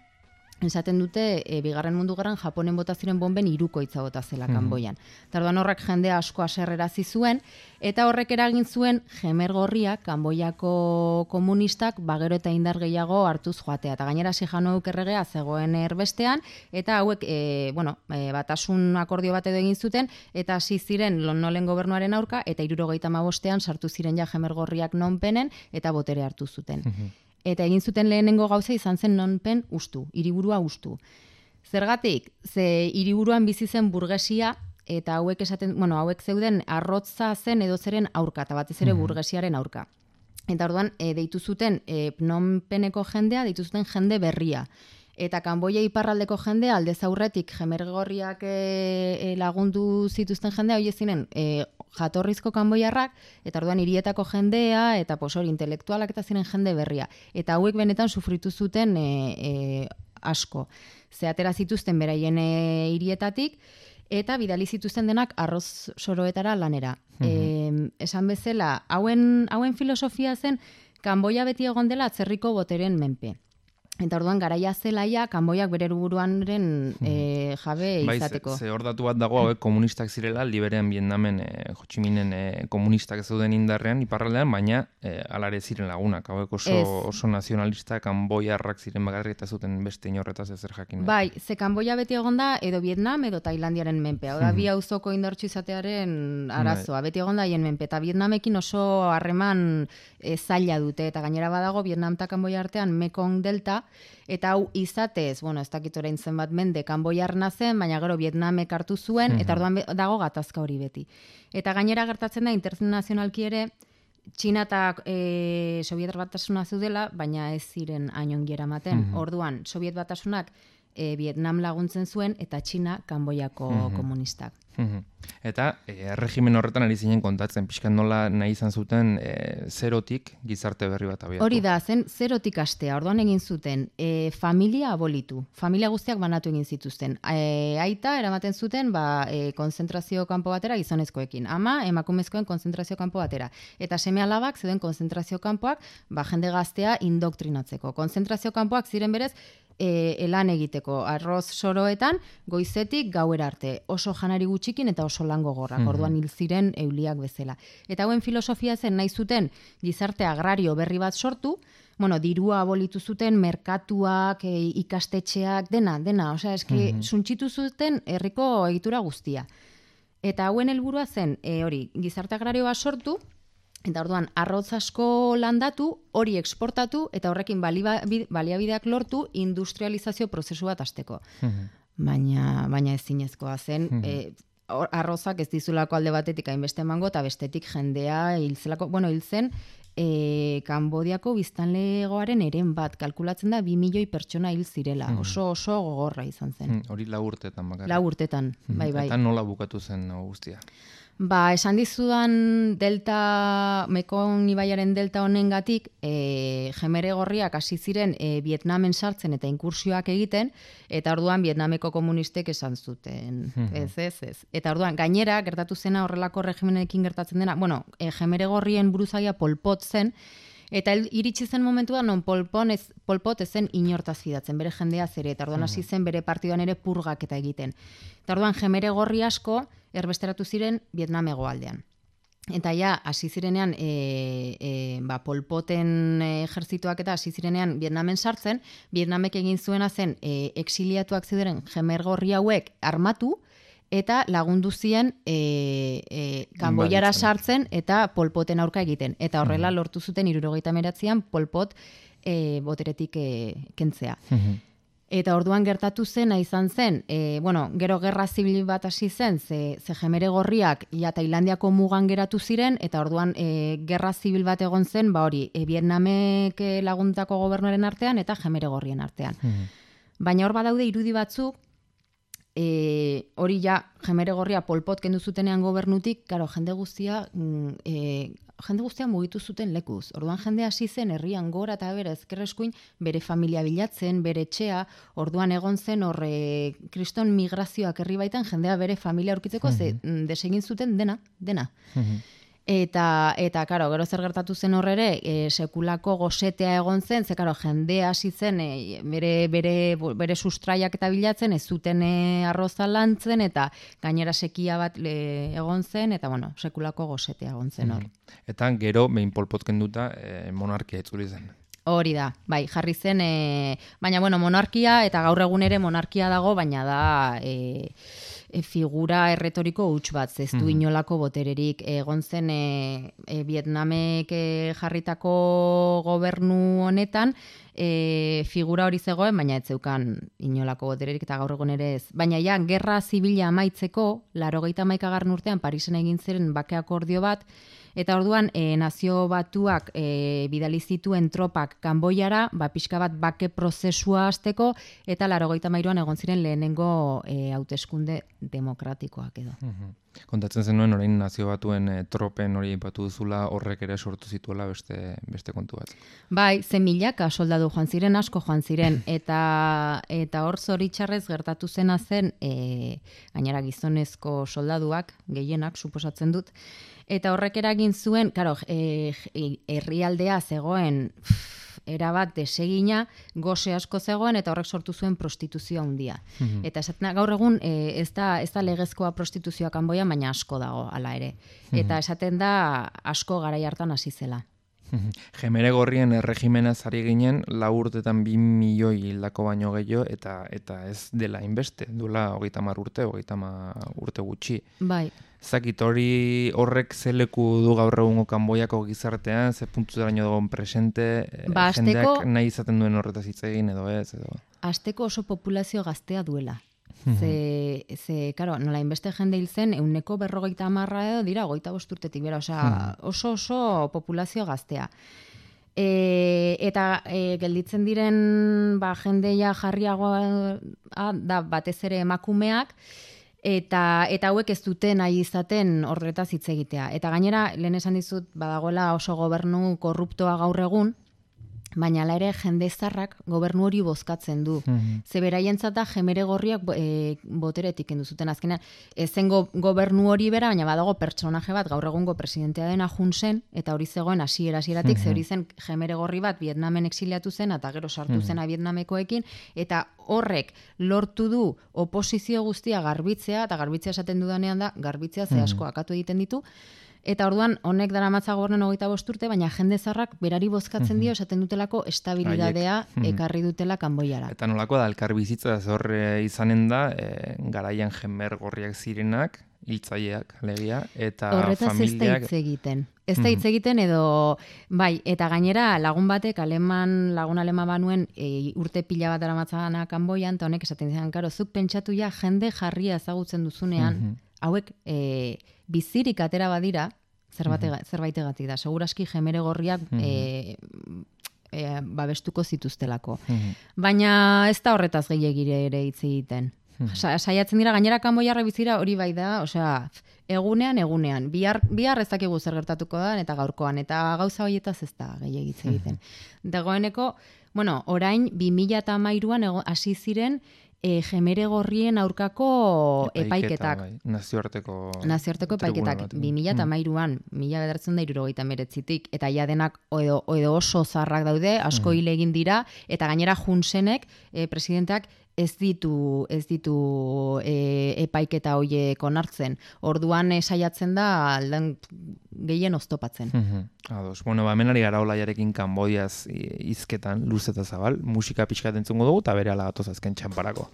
[SPEAKER 5] esaten dute, Bigarren Mundu Gerran Japonen bota ziren bomben 3koitza bota zela Kanboian. Eta orduan horrek jendea asko haserrerazi zuen, eta horrek eragin zuen Jemer Gorria Kanboiako komunistak gero eta indar gehiago hartuz joatea. Eta gainera Sihanouk erregea zegoen erbestean, eta hauek batasun akordio bat edo egin zuten, eta hasi ziren Lon Nolen gobernuaren aurka, eta 75ean sartu ziren ja Jemer Gorriak Nonpenen, eta botere hartu zuten. Eta egin zuten lehenengo gauza izan zen Nonpen ustu, hiriburua ustu. Zergatik, ze hiriburuan bizi zen burgesia, eta hauek zeuden arrotza zen edo zeren aurka, eta batez ere burgesiaren aurka. Eta orduan, deitu zuten Nonpeneko jendea, deitu zuten jende berria. Eta Kanboia iparraldeko jendea, aldez aurretik Jemer Gorriak lagundu zituzten jendea, hori zinen jatorrizko kanboiarrak, eta orduan hirietako jendea, eta hori intelektualak eta ziren jende berria. Eta hauek benetan sufritu zuten asko. Ze atera zituzten beraien hirietatik, eta bidali zituzten denak arroz soroetara lanera. Esan bezala, hauen filosofia zen, Kanboia beti egon dela atzerriko boteren menpe. Eta orduan garaia zelaia Kanboiak bere buruanren jabe izateko.
[SPEAKER 3] Ze hor datu bat dago hauek komunistak zirela, liberean Vietnamen Ho Chi Minen komunistak zeuden indarrean, iparraldean, baina alare ziren lagunak. Hauek oso nazionalistak kanboiarrak ziren bakarrik eta zuten beste inorretaz ezer jakin.
[SPEAKER 5] Bai, ze Kanboia beti egon da edo Vietnam edo Tailandiaren menpe. Hau da, bi auzoko indartsu izatearen arazoa. Beti egon da haien menpe. Eta Vietnamekin oso harreman zaila dute. Eta gainera badago Vietnam eta Kanboia artean Mekong Delta, eta hau izatez, ez dakit orain zenbat mende kanboiarna zen, baina gero Vietnamek hartu zuen, eta orduan dago gatazka hori beti. Eta gainera gertatzen da, internazionalki ere, Txina eta Sobiet Batasuna zeudela, baina ez ziren hain ongi eramaten. Orduan, Sobiet Batasunak Vietnam laguntzen zuen, eta Txina Kanboiako komunistak.
[SPEAKER 3] Eta erregimen horretan ari zinen kontatzen, pixkan nola nahi izan zuten zerotik gizarte berri bat abiatu.
[SPEAKER 5] Hori da, zen zerotik astea, orduan egin zuten familia abolitu, familia guztiak banatu egin zituzten. Aita eramaten zuten konzentrazio kanpo batera gizonezkoekin, ama emakumezkoen konzentrazio kanpo batera. Eta seme alabak zeuden konzentrazio kanpoak jende gaztea indoktrinatzeko. Konzentrazio kanpoak ziren berez, elan egiteko, arroz soroetan, goizetik gauera arte, oso janari gutxikin eta oso lan gogorrak, orduan hil ziren euliak bezala. Eta hauen filosofia zen nahi zuten gizarte agrario berri bat sortu, dirua abolitu zuten, merkatuak, ikastetxeak, dena, osea, suntxitu zuten herriko egitura guztia. Eta hauen helburua zen, gizarte agrario bat sortu, eta orduan, arroz asko landatu, hori eksportatu, eta horrekin baliabideak lortu industrializazio prozesu bat hasteko. Baina ezinezkoa zen, arrozak ez dizulako alde batetik hainbeste emango, eta bestetik jendea hil zen, Kanbodiako biztanlegoaren eren bat, kalkulatzen da 2 milioi pertsona hil zirela, oso gogorra izan zen.
[SPEAKER 3] Hori 4 urtetan bakarrik.
[SPEAKER 5] 4 urtetan, bai.
[SPEAKER 3] Eta nola bukatu zen guztia?
[SPEAKER 5] Ba, esan dizudan delta, Mekong ibaiaren delta honengatik, jemere gorriak hasi ziren Vietnamen sartzen eta inkursioak egiten, eta orduan Vietnameko komunistek esan zuten. Ez. Eta orduan, gainera, gertatu zena horrelako regimenekin gertatzen dena, bueno, jemere gorrien buruzagia Pol Pot zen, eta iritsi zen momentua non Pol Pot ezen inortaz fidatzen, bere jendea zere, eta orduan hasi zen bere partidoan ere purgaketa egiten. Eta orduan, jemere gorri asko, erbesteratu ziren Vietnam hegoaldean. Eta ja, hasi zirenean, Pol Poten ejertzituak eta hasi zirenean Vietnamen sartzen, Vietnamek egin zuena zen exiliatuak zeuden jemer gorri hauek armatu, eta lagundu zien Kanboiara sartzen eta Pol Poten aurka egiten. Eta horrela lortu zuten 1979an Pol Pot boteretik kentzea. Eta orduan gertatu zena izan zen, gero gerra zibil bat hasi zen, ze jemere gorriak ja Tailandiako mugan geratu ziren, eta orduan gerra zibil bat egon zen, Vietnamek laguntako gobernuaren artean eta jemere gorrien artean. Baina hor badaude irudi batzuk, hori ja jemere gorria Pol Pot kendu zutenean gobernutik, karo, jende guztia mugitu zuten lekuz. Orduan jende hasi zen herrian gora eta bera ezkerreskuin bere familia bilatzen, bere etxea, orduan egon zen kriston migrazioak herri baitan jendea bere familia aurkitzeko, ze desegin zuten dena. Eta karo, gero zer gertatu zen horre sekulako gosetea egon zen, ze karo, jende hasi zen bere sustraiak eta bilatzen, ez zuten arroza lantzen, eta gainera sekia bat egon zen, eta sekulako gosetea egon zen hor.
[SPEAKER 3] Eta gero, behin Pol Pot kenduta, monarkia itzuli zen.
[SPEAKER 5] Hori da, bai, jarri zen, baina monarkia, eta gaur egun ere monarkia dago, baina da figura erretoriko huts bat, ez du inolako botererik. Egon zen Vietnamek jarritako gobernu honetan, figura hori zegoen, baina ez zeukan inolako botererik, eta gaur egun ere ez. Baina ja, gerra zibila amaitzeko, 81. urtean Parisen egin ziren bake akordio bat, eta orduan Nazio Batuak bidali zituen tropak Kanboiara, pixka bat bake prozesua hasteko, eta 83an egon ziren lehenengo hauteskunde demokratikoak edo.
[SPEAKER 3] Kontatzen zenuen orain Nazio Batuen tropen hori aipatu duzula, horrek ere sortu zituela beste kontu bat.
[SPEAKER 5] Bai, milaka soldadu joan ziren, asko joan ziren, eta hor zoritxarrez gertatu zena zen, gainera gizonezko soldaduak, gehienak, suposatzen dut, eta horrek eragin zuen, karo, herrialdea zegoen erabat desegina, goze asko zegoen, eta horrek sortu zuen prostituzioa handia. Eta esaten gaur egun ez da legezkoa prostituzioa Kanboian, baina asko dago hala ere. Eta esaten da asko garai hartan hasi zela.
[SPEAKER 3] Jemere gorrien erregimenaz ari ginen, 4 urtetan 2 milioi hildako baino gehiago, eta ez dela inbeste, duela 30 urte gutxi.
[SPEAKER 5] Bai.
[SPEAKER 3] Zakit hori horrek zeleku du gaur egungo Kanboiako gizartean, ze puntutaraino dagoen presente, jendeak nahi izaten duen horretaz hitz egin edo ez?
[SPEAKER 5] Hasteko oso populazio gaztea duela. Karo, nola inbeste jende hil zen, 150 edo dira, 25 urtetik bera, oso populazio gaztea. Eta gelditzen diren jendeia jarriagoa da batez ere emakumeak, eta hauek ez duten nahi izaten horretaz hitz egitea. Eta gainera, lehen esan dizut, badagoela oso gobernu korruptoa gaur egun, baina ere jende zarrak gobernu hori bozkatzen du. Ze beraientzat da jemere gorriak boteretik kendu zuten azkenean. Ezen gobernu hori bera, baina badago pertsonaje bat gaur egungo presidentea dena Hun Sen, eta hori zegoen hasieratik, ze hori zen jemere gorri bat Vietnamen exiliatu zen, eta gero sartu zena Vietnamekoekin, eta horrek lortu du oposizio guztia garbitzea, eta garbitzea esaten dudanean da, garbitzea ze asko akatu egiten ditu, eta orduan honek daramatza gobernen 25 urte, baina jende zarrak berari bozkatzen dio esaten dutelako estabilidadea ekarri dutela Kanboiara.
[SPEAKER 3] Eta nolako da, elkar bizitza hor izanen da, garaian jemer gorriak zirenak, hiltzaileak alegia, eta
[SPEAKER 5] horretaz
[SPEAKER 3] familiak...
[SPEAKER 5] ez da hitz egiten. Ez da hitz egiten edo, bai, eta gainera lagun batek, lagun aleman banuen urte pila bat daramatzana Kanboian, eta honek esaten zian, karo, zuk pentsatu ja jende jarria ezagutzen duzunean, hauek bizirik atera badira, zerbaitegatik da. Seguraski jemere gorriak babestuko zituztelako. Baina ez da horretaz gehiagire ere hitz egiten. Saiatzen dira gainera kanboiarra bizira hori bai da, osea, egunean, bihar ez dakigu zer gertatuko da eta gaurkoan, eta gauza horietaz ez da gehiagitze egiten. Dagoeneko, bueno, orain 2013an hasi ziren jemere gorrien aurkako epaiketak.
[SPEAKER 3] Bai, nazioarteko
[SPEAKER 5] epaiketak 2013an, 1979tik, eta ja denak edo oso zarrak daude, asko hil egin dira, eta gainera Junsenek, presidenteak, ez ditu epaiketa hoiek onartzen. Orduan saiatzen da aldan gehien oztopatzen.
[SPEAKER 3] Ados. Bueno, hemen ari gara Olaiarekin Kanbodiaz hizketan luz eta zabal, musika pixkat entzungo dugu eta berehala gatoz azken txanparako.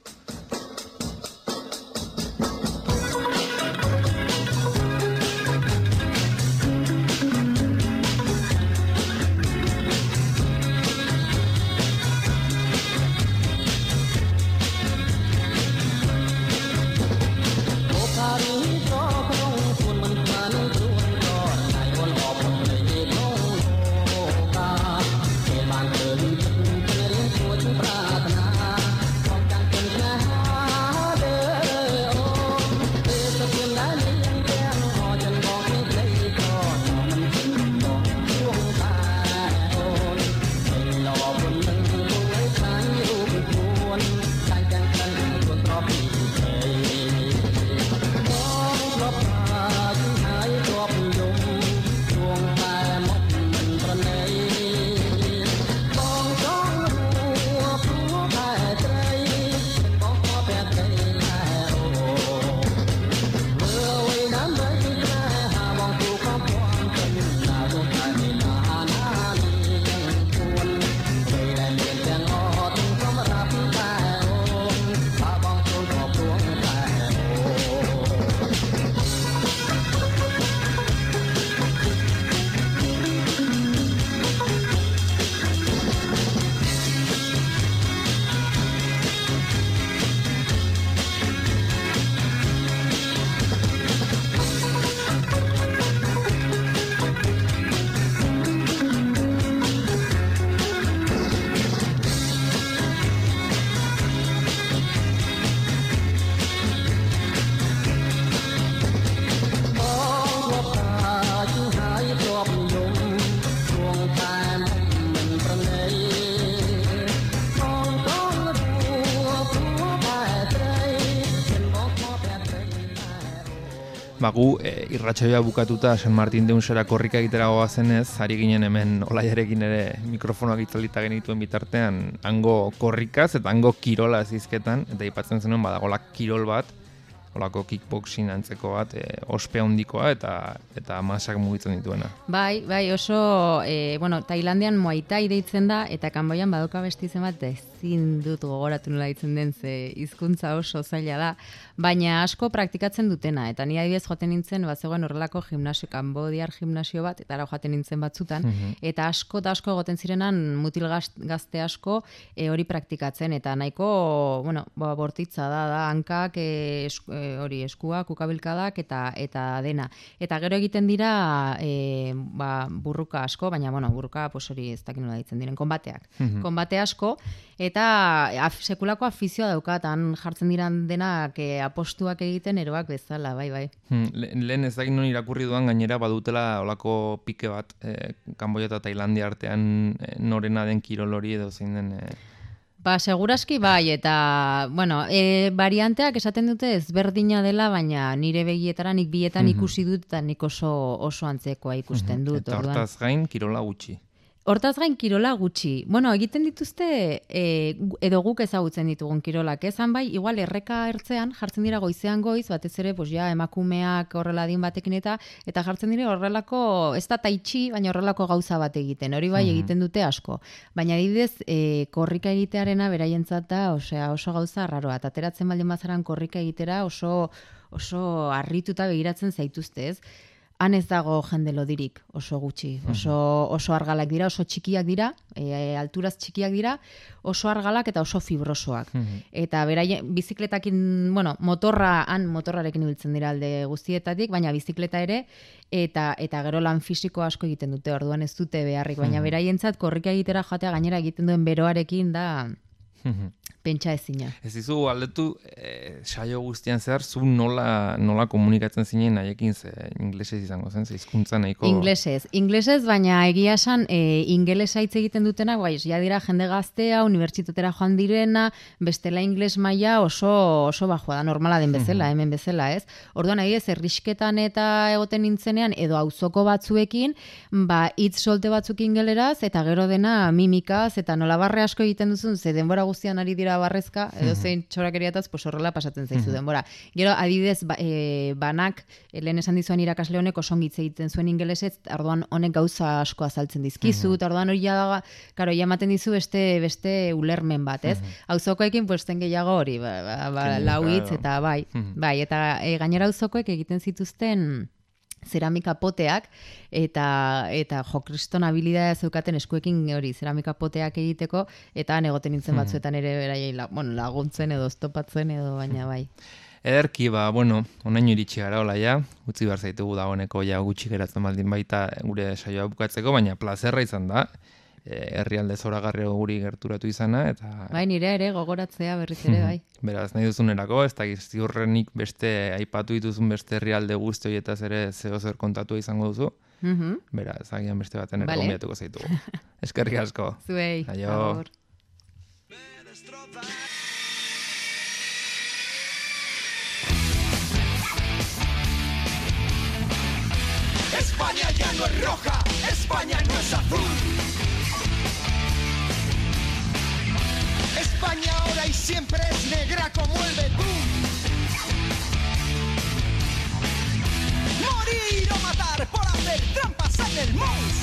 [SPEAKER 3] Gu irratsaioa bukatuta San Martin de Unsera korrika egitera goazenez, ari ginen hemen Olaiarekin ere mikrofonoak itzalita genituen bitartean hango korrikaz eta hango kirola hizketan, eta aipatzen zenuen badagola kirol bat, olako kickboxing antzeko bat, ospe handikoa eta masak mugitzen dituena. Bai,
[SPEAKER 5] oso, Tailandian Muay Thai deitzen da, eta Kanboian badoka beste izen bat ezin dut gogoratu nola ditzen den, ze hizkuntza oso zaila da, baina asko praktikatzen dutena, eta ni adibidez joaten nintzen, bazegoen horrelako gimnasio, kanbodiar gimnasio bat, eta ara joaten nintzen batzutan, eta asko egoten zirenan mutil gazte asko hori praktikatzen, eta nahiko, bortitza da hankak, hori eskuak, ukabilkadak eta dena. Eta gero egiten dira burruka asko, baina burruka hori ez dakit nola ditzen diren, konbateak. Konbate asko, eta sekulako afizioa daukat, han jartzen diran denak apostuak egiten eroak bezala, bai.
[SPEAKER 3] Lehen ez dakit non irakurri duan gainera badutela olako pike bat Kanboia eta Tailandia artean norena den kirol hori edo zein den...
[SPEAKER 5] Seguraski bai, eta, varianteak esaten dute ezberdina dela, baina nire begietara nik bietan ikusi dut, eta nik oso antzekoa ikusten dut.
[SPEAKER 3] Eta hortaz gain kirola gutxi.
[SPEAKER 5] Hortaz gain kirola gutxi. Egiten dituzte, edo guk ezagutzen ditugun kirolak, ezan bai, igual erreka ertzean, jartzen dira goizean goiz, batez ere, emakumeak horrela adin batekin eta jartzen dira horrelako, ez da taitxi, baina horrelako gauza bat egiten, hori bai egiten dute asko. Baina adibidez, korrika egitearena beraientzat da, oso gauza arraroa, eta ateratzen baldin bazaran korrika egitera oso harrituta begiratzen zaituzte, ez? Han ez dago jende lodirik, oso gutxi, oso argalak dira, oso txikiak dira, alturaz txikiak dira, oso argalak eta oso fibrosoak. Eta beraien bizikletakin, motorrarekin ibiltzen dira alde guztietatik, baina bizikleta ere, eta gero lan fisiko asko egiten dute, orduan ez dute beharrik, baina beraientzat korrika egitera joatea gainera egiten duen beroarekin da pentsa ezina.
[SPEAKER 3] Ez dizu aldetu saio guztian zehar zu nola komunikatzen zinen haiekin, ze inglesez izango zen, ze hizkuntza nahiko...
[SPEAKER 5] Inglesez, baina egia esan ingelesa hitz egiten dutenak, bai, ja dira jende gaztea, unibertsitatera joan direna, bestela ingles maila oso bajoa da, normala den bezala, hemen bezala, ez? Orduan adibidez, herrisketan eta egoten nintzenean, edo auzoko batzuekin, ba, hitz solte batzuk ingeleraz, eta gero dena mimikaz, eta nola barre asko egiten duzun, ze denbora guztian ari dira barrezka, edo zein txorakeriataz, pues horrela pasatzen zaizu denbora. Gero, adibidez, banak, lehen esan dizuan irakasle honek osongitze egiten zuen ingelesez, orduan honek gauza asko azaltzen dizkizu, eta orduan hori da, karo, ematen dizu beste ulermen bat, ez? Auzokoekin, pues, ten gehiago hori, lau hitz, eta bai, eta gainera auzokoek egiten zituzten zeramika poteak, eta jo, kriston habilidadea zeukaten eskuekin hori zeramika poteak egiteko, eta egoten nintzen batzuetan ere beraiei laguntzen edo oztopatzen edo, baina bai.
[SPEAKER 3] Ederki, onaino iritsi gara hola ja, utzi behar zaitugu dagoeneko ja gutxi geratzen baldin baita gure saioa bukatzeko, baina plazerra izan da, herrialde zoragarri guri gerturatu izana, eta...
[SPEAKER 5] Bai, nire ere gogoratzea berriz ere, bai.
[SPEAKER 3] Beraz, nahi duzunerako, ez da ziurrenik beste aipatu dituzun beste herrialde guzti horietaz ere zer kontatu izango duzu. Beraz, agian beste baten ere gonbidatuko zaitugu. Eskerrik asko.
[SPEAKER 5] Zuei.
[SPEAKER 3] Aio.
[SPEAKER 1] España ya no es roja, España no es azul. España ahora y siempre es negra como el betún. Morir o matar por hacer trampas en el mus.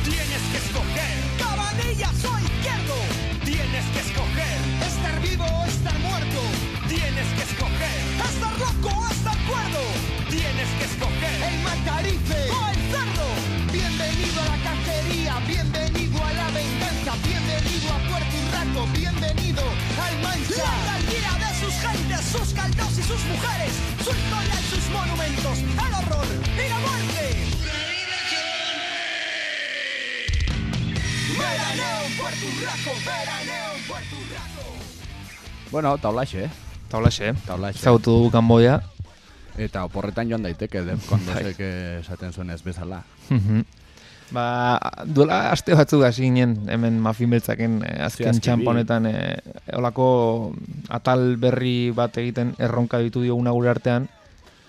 [SPEAKER 1] Tienes que escoger Cabanillas o Izquierdo. Tienes que escoger estar vivo o estar muerto. Tienes que escoger estar loco o estar cuerdo. Tienes que escoger el Macarife o el cerdo. Bienvenido a la cacería, bienvenido a la venganza, bienvenido a Puerto Urraco, bienvenido al Mancha. La alcaldía de sus gentes, sus caldos y sus mujeres, su historia y sus monumentos, el horror y la muerte. Veraneo en Puerto Urraco, veraneo en Puerto Urraco.
[SPEAKER 2] Bueno, taulaxe,
[SPEAKER 3] Taulaxe. Zautu dugu Kanboia.
[SPEAKER 2] Eta oporretan joan daiteke, Defkondosek esaten zuen ez bezala.
[SPEAKER 3] Duela aste batzuk hasi ginen, hemen Mafin Beltzaken azken txamponetan olako atal berri bat egiten erronka ditu dioguna gure artean,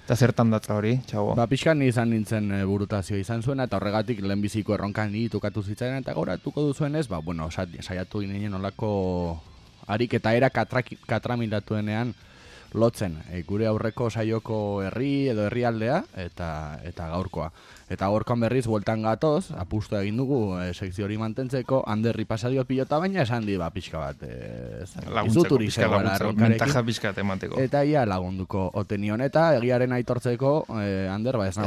[SPEAKER 3] eta zertan datza hori, txago?
[SPEAKER 2] Pixkan izan nintzen burutazio izan zuena, eta horregatik lehenbiziko erronkan tukatu zitzaidan, eta gauratuko duzuenez, saiatu ginen olako harik eta era katramilatuenean lotzen, gure aurreko saioko herri edo herrialdea eta gaurkoa. Eta gaurkoan berriz bueltan gatoz, apustu egin dugu sekzio hori mantentzeko, Anderri pasadio pilota, baina esan di pixka bat
[SPEAKER 3] laguntzeko, mentaja pixka emateko.
[SPEAKER 2] Eta ia lagunduko otenion, eta egiaren aitortzeko Ander, ez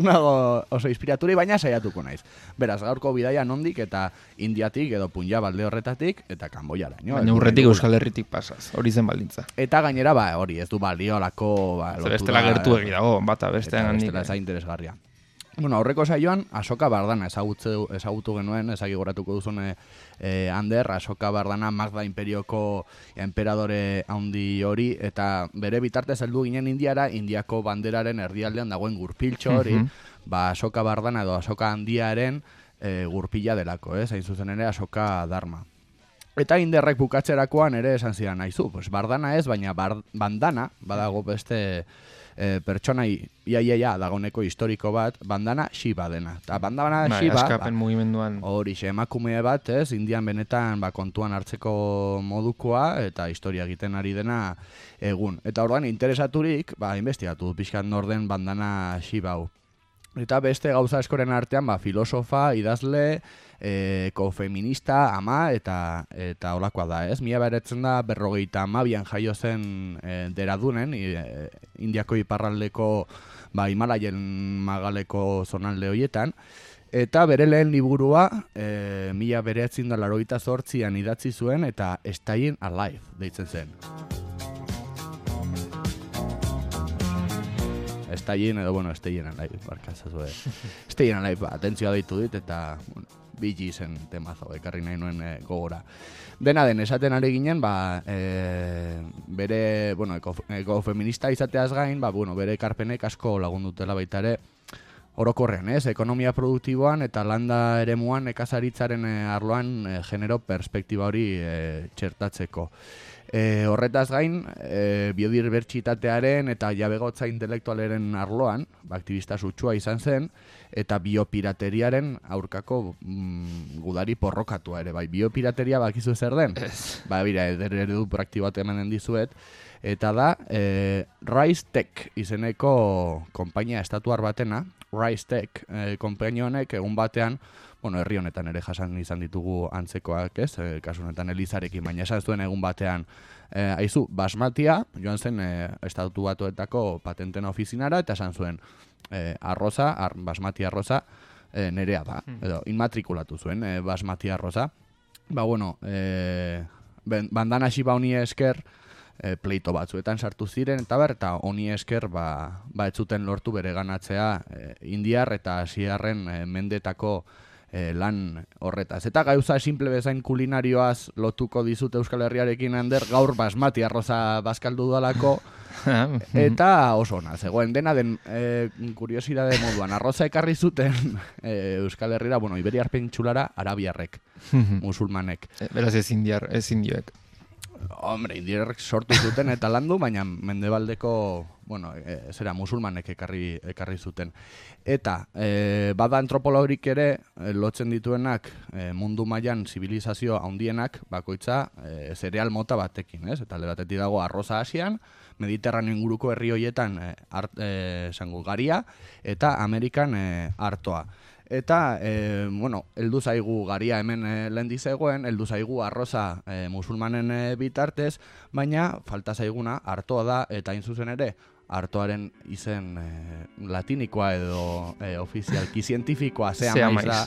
[SPEAKER 2] nago oso inspiraturi, baina saiatuko naiz. Beraz, gaurko bidaia nondik eta Indiatik edo Punjab alde horretatik eta Kanboiara.
[SPEAKER 3] Baina urretik Euskal Herritik pasaz, hori zen baldintza.
[SPEAKER 2] Eta gainera, hori ez du baliolako...
[SPEAKER 3] Bestela gertu egi dago, bata bestean handik.
[SPEAKER 2] Bestela za interesgarria. Bueno, aurreko saioan, Asoka Bardana ezagutu genuen, ezagigoratuko duzun Ander, Asoka Bardana Magda Imperioko emperadore handi hori, eta bere bitartez heldu ginen Indiara, Indiako banderaren erdialdean dagoen gurpiltxo hori, Asoka Bardana edo Asoka handiaren gurpila delako, hain zuzen ere Asoka Dharma. Eta Inderrek bukatzerakoan ere esan zidan naizu, Bardana ez, baina bandana, badago beste pertsonai iaia dagoneko historiko bat, bandana Shiva dena. Eta bandana Shiva,
[SPEAKER 3] askapen mugimenduan
[SPEAKER 2] hori emakume bat, Indian benetan kontuan hartzeko modukoa eta historia egiten ari dena egun. Eta orduan interesaturik, investigatu pixkat norden bandana Shiva hau. Eta beste gauza eskoren artean, filosofa, idazle, ekofeminista, ama, eta olakoa da, ez? 1952an jaio zen Deradunen, Indiako iparraldeko, Himalaien magaleko zonalde horietan, eta bere lehen liburua 1988an idatzi zuen, eta Staying Alive deitzen zen. Estaien edo, bueno, Estayen Alive, barkazazue. Estayen Alive, atentzioa deitu dit, eta, bueno, Bee zen temazo, ekarri nahi nuen gogora. Dena den, esaten ari ginen, bere, bueno, ekofeminista izateaz gain, bueno, bere ekarpenek asko lagundutela baita ere, orokorrean, ekonomia produktiboan eta landa eremuan nekazaritzaren arloan genero perspektiba hori txertatzeko. Horretaz gain, biodibertsitatearen eta jabegotza intelektualeren arloan, aktivista sutsua izan zen, eta biopirateriaren aurkako gudari porrokatua ere. Bai, biopirateria bakizu zer den? Bira, eredu praktibo bat emanen dizuet. Eta da, Rise Tech izeneko konpainia estatuar batena, Rise Tech konpainia honek egun batean, bueno, herri honetan ere jasan izan ditugu antzekoak, ez? Kasu honetan Elizarekin, baina esan zuen egun batean, aizu, basmatia, joan zen estatu batuetako patenten ofizinara, eta esan zuen, basmati arroza, nerea da, edo inmatrikulatu zuen, basmati arroza. Bueno, bandana xiba honi esker, pleito batzuetan sartu ziren, eta honi esker, ez zuten lortu bere ganatzea indiar eta asiarren mendetako lan horretaz. Eta gauza simple bezain kulinarioaz lotuko dizut Euskal Herriarekin, Ander, gaur basmati arroza bazkaldu dalako, eta oso ona, zegoen dena den kuriosidade moduan, arroza ekarri zuten Euskal Herrira, bueno, Iberiar Penintsulara arabiarrek, musulmanek.
[SPEAKER 3] Beraz ez indioek.
[SPEAKER 2] Hombre, indiarrek sortu zuten eta landu, baina mendebaldeko, bueno, musulmanek ekarri zuten. Eta, bada antropologik ere, lotzen dituenak mundu mailan zibilizazio handienak, bakoitza zereal mota batekin, ez? Eta alde batetik dago arroza Asian, Mediterraneo inguruko herri hoietan garia, eta Amerikan artoa. Eta, bueno, heldu zaigu garia hemen lehendi zegoen, heldu zaigu arroza musulmanen bitartez, baina falta zaiguna artoa da, eta hain zuzen ere, artoaren izen latinikoa edo ofizialki zientifikoa zea maiz da,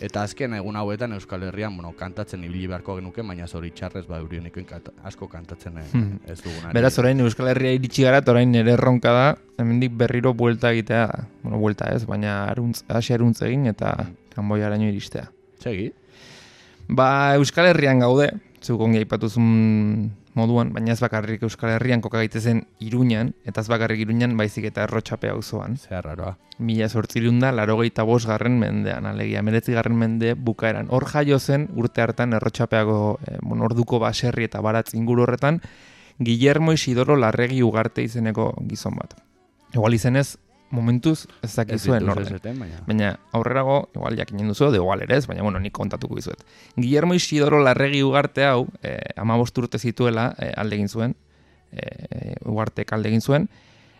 [SPEAKER 2] eta azken egun hauetan Euskal Herrian, bueno, kantatzen ibili beharko genuke, baina zoritxarrez, eurionikoen asko kantatzen ez dugunari.
[SPEAKER 3] Beraz, orain Euskal Herria iritsi gara, orain ere erronka da, hemendik berriro buelta egitea, bueno, buelta ez, baina Asia eruntz egin eta Kanboiaraino iristea.
[SPEAKER 2] Segi?
[SPEAKER 3] Euskal Herrian gaude, zuk ongi aipatuzun moduan, baina ez bakarrik Euskal Herrian koka gaitezen Iruñan, eta ez bakarrik Iruñan baizik eta Errotxape auzoan.
[SPEAKER 2] Zer raroa.
[SPEAKER 3] 1885 mendean, alegia, 19. mende bukaeran. Hor jaio zen urte hartan Errotxapeago orduko baserri eta baratz inguru horretan, Guillermo Isidoro Larregi Ugarte izeneko gizon bat. Igual izenez, momentuz ez dakizuen orden. Baina aurrerago, igual jakinen duzu, de igual ere ez, baina bueno, nik kontatuko dizuet. Guillermo Isidoro Larregi Ugarte hau, 15 urte zituela alde egin zuen, Ugartek alde egin zuen,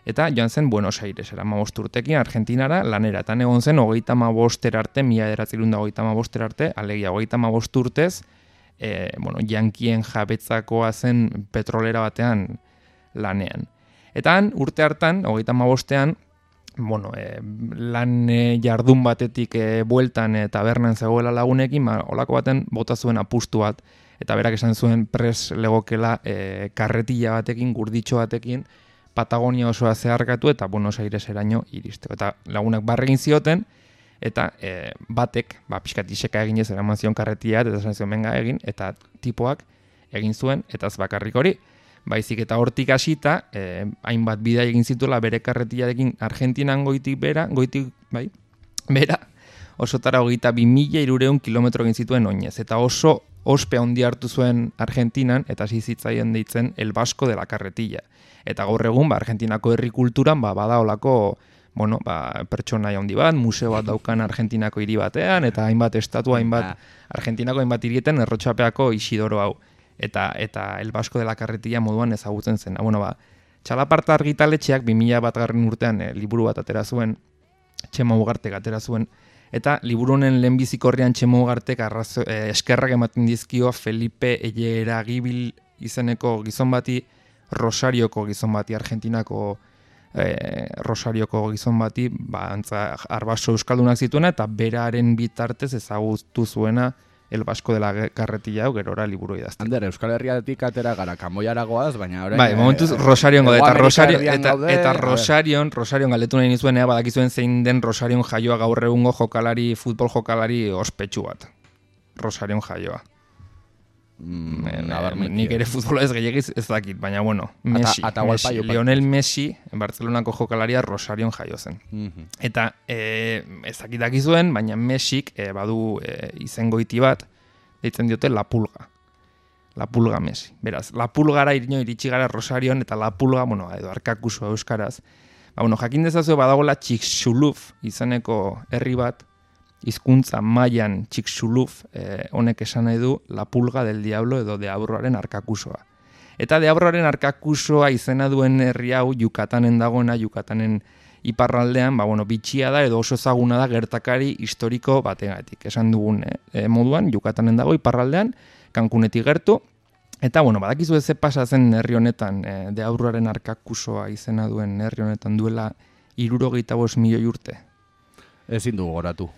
[SPEAKER 3] eta joan zen Buenos Airesera 15 urtekin Argentinara lanera, eta egon zen 35 arte, 1935 arte, alegia 35 urtez, jankien jabetzakoa zen petrolera batean lanean. Eta han, urte hartan, 35ean, lan jardun batetik bueltan tabernan zegoela lagunekin, olako baten bota zuen apustu bat, eta berak esan zuen pres legokela karretilla batekin, gurditxo batekin, Patagonia osoa zeharkatu eta Buenos Aireseraino iristeko. Eta lagunak barregin zioten, eta batek, pixkat iseka egin ez eraman zion karretilla, eta esan zion benga egin, eta tipoak egin zuen, eta ez bakarrik hori, baizik eta hortik hasita, hainbat bidai egin zituela bere karretillarekin Argentinan goitik bera, osotara 22.300 kilometro egin zituen oinez. Eta oso ospe handi hartu zuen Argentinan, eta hasi zitzaien deitzen El Vasco de la Carretilla. Eta gaur egun, Argentinako herri kulturan, bada olako, pertsona handi bat, museo bat daukan Argentinako hiri batean, eta hainbat estatu, Argentinako hainbat hirietan Errotxapeako Isidoro hau. Eta El Vasco de la Carretilla moduan ezagutzen zen. Txalaparta argitaletxeak 2001 urtean liburu bat atera zuen, Txema Ugartek atera zuen, eta liburu honen lehenbizikorrean Txema Ugartek eskerrak ematen dizkio Felipe Eleragibil izeneko gizon bati, Rosarioko gizon bati, Argentinako Rosarioko gizon bati, arbaso euskaldunak zituena, eta beraren bitartez ezagutu zuena El Vasco de la Carretilla hau gerora liburu idazten.
[SPEAKER 2] Ander, Euskal Herriatik atera gara Kanboiara goaz, baina orain...
[SPEAKER 3] Bai, momentuz Rosarion gaude, eta
[SPEAKER 2] Rosarion
[SPEAKER 3] Rosarion galdetu nahi nizuen, badakizuen zein den Rosarion jaioa gaur egungo futbol jokalari ospetsu bat. Rosarion jaioa. Nik ere futbola ez gehiagiz ez dakit, baina bueno, Messi, Lionel Messi, Barcelonako jokalaria Rosarion jaio zen. Eta ez dakit dakizuen, baina Messik badu izengoiti bat, deitzen diote La Pulga. La Pulga Messi. Beraz, La Pulgara iritsi gara Rosarion, eta La Pulga, edo arkakusua euskaraz. Jakin dezazue badagoela Chicxulub izeneko herri bat, hizkuntza mailan Chicxulub honek esan nahi du La Pulga del Diablo edo Deabruaren arkakusoa. Eta Deabruaren arkakusoa izena duen herri hau Yukatanen dagoena, Yukatanen iparraldean, bitxia da edo oso ezaguna da gertakari historiko bategatik. Esan dugun moduan, Yukatanen dago iparraldean, Cancunetik gertu, eta badakizu ze pasa zen herri honetan, Deabruaren arkakusoa izena duen herri honetan duela 75 milioi urte.
[SPEAKER 2] Ezin dugu goratu.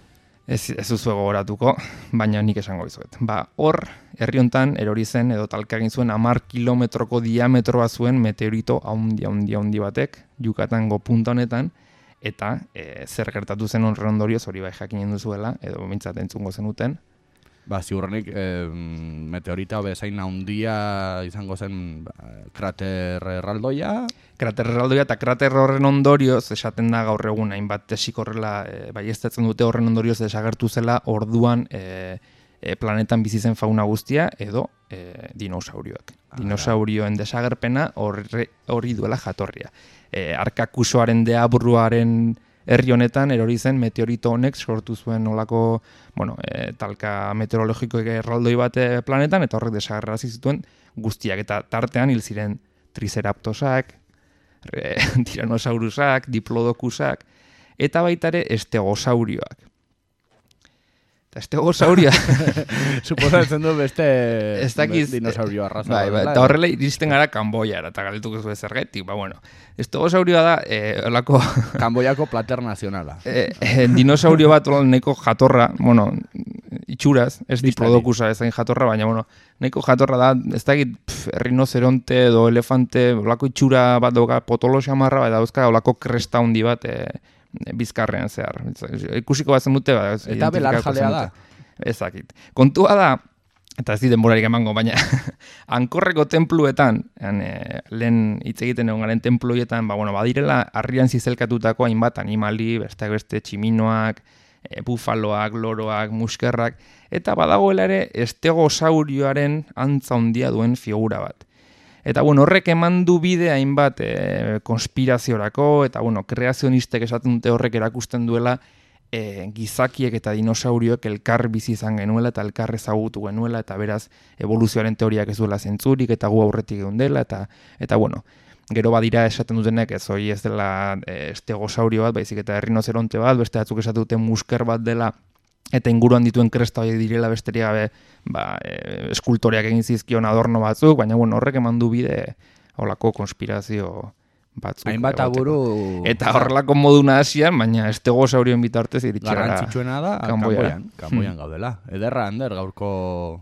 [SPEAKER 3] Ez duzu gogoratuko, baina nik esango dizuet. Hor, herri hontan erori zen edo talka egin zuen 10 kilometroko diametroa zuen meteorito handi batek, Yucatango punta honetan, eta zer gertatu zen horren ondorioz, hori bai jakinen duzuela, edo mintzat entzungo zenuten.
[SPEAKER 2] Ziurrenik meteorita bezain handia izango zen krater erraldoia.
[SPEAKER 3] Krater erraldoia eta krater horren ondorioz esaten da gaur egun hainbat tesik horrela baieztatzen dute horren ondorioz desagertu zela orduan planetan bizi zen fauna guztia edo dinosaurioak. Dinosaurioen desagerpena hori duela jatorria. Arkakusoaren Deabruaren herri honetan erori zen meteorito honek sortu zuen olako, talka meteorologiko erraldoi bat planetan, eta horrek desagerrazi zituen guztiak, eta tartean hil ziren triceratosak, tyrannosaurusak, diplodocusak, eta baita ere estegosaurioak. Eta estegosaurioa...
[SPEAKER 2] Suposatzen du beste dinosaurio arraza.
[SPEAKER 3] Eta horrela iristen gara Kanboiara, eta galdetuko zuen zergetik. Estegosaurioa da, olako...
[SPEAKER 2] Kanboiako plater nazionala.
[SPEAKER 3] Dinosaurio bat neko jatorra, itxuraz, ez diplodocusa ez zain jatorra, baina, neko jatorra da, ez dakit rinoceronte edo elefante, olako itxura bat doga potolo xamarra, eta dauzka olako kresta handi bat, bizkarrean zehar. Ikusiko bat zen dute,
[SPEAKER 2] eta belar jalea da.
[SPEAKER 3] Ezakit. Kontua da, eta ez di denborarik emango, baina Ankorreko tenpluetan, lehen hitz egiten egon garen tenpluetan, badirela harrian zizelkatutako hainbat animali, beste tximinoak, bufaloak, loroak, muskerrak, eta badagoela ere estegosaurioaren antza handia duen figura bat. Eta horrek eman du bide hainbat konspiraziorako, eta kreazionistek esaten dute horrek erakusten duela gizakiek eta dinosaurioek elkar bizi izan genuela eta elkar ezagutu genuela, eta beraz evoluzioaren teoriak ez duela zentzurik, eta gu aurretik egon dela, eta gero badira esaten dutenek ez hori ez dela estegosaurio bat, baizik eta errinozeronte bat, beste batzuk esaten dute musker bat dela, eta inguruan dituen kresta horiek direla besterik gabe eskultoreak egin zizkion adorno batzuk, baina horrek eman du bide holako konspirazio batzuk.
[SPEAKER 2] Hainbat aburu...
[SPEAKER 3] Eta horrelako moduna hasian, baina estegosaurioen bitartez iritsi gara.
[SPEAKER 2] Garrantzitsuena da, Kanboian gaudela. Ederra, Ander, gaurko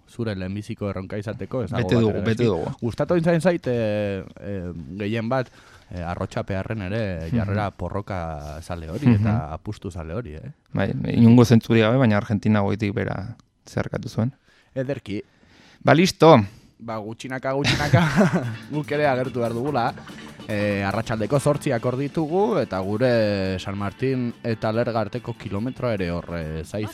[SPEAKER 2] zure lehenbiziko erronka izateko.
[SPEAKER 3] Bete dugu.
[SPEAKER 2] Gustatu intzain zait, gehien bat, arrotxapearren ere jarrera porroka zale hori eta apustu zale hori,
[SPEAKER 3] Bai, inungo zentzuri gabe, baina Argentina goitik bera zerkatu zuen.
[SPEAKER 2] Ederki.
[SPEAKER 3] Listo.
[SPEAKER 2] Gutxinaka, guk ere agertu behar dugula. Arratsaldeko 8 hor ditugu, eta gure San Martin eta Lerga arteko kilometroa ere hor zai.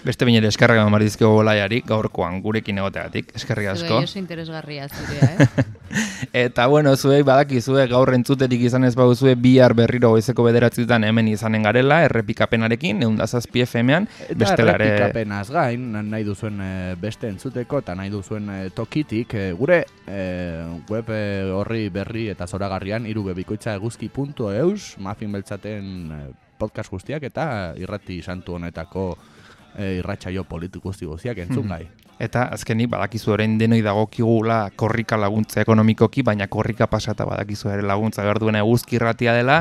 [SPEAKER 3] Beste binere eskerrak eman dizkigu Bolaiari, gaurkoan gurekin egoteagatik, eskerrik asko.
[SPEAKER 5] Zuei oso interesgarria zurea,
[SPEAKER 3] Eta zuei badakizue gaur entzuterik izan ez baduzue bihar berriro goizeko 9 hemen izanen garela, errepikapenarekin, 107 FM-ean.
[SPEAKER 2] Eta errepikapenaz gain, nahi duzuen beste entzuteko, eta nahi duzuen tokitik, gure web horri berri eta zoragarrian, irubebikoitzaeguzki.eus, Mafin Beltzaten podcast guztiak, eta irrati santu honetako irratsaio politik guztiak entzun gai.
[SPEAKER 3] Eta azkenik badakizu orain denoi dagokigula korrika laguntza ekonomikoki, baina korrika pasata badakizu ere laguntza behar duena eguzki irratia dela,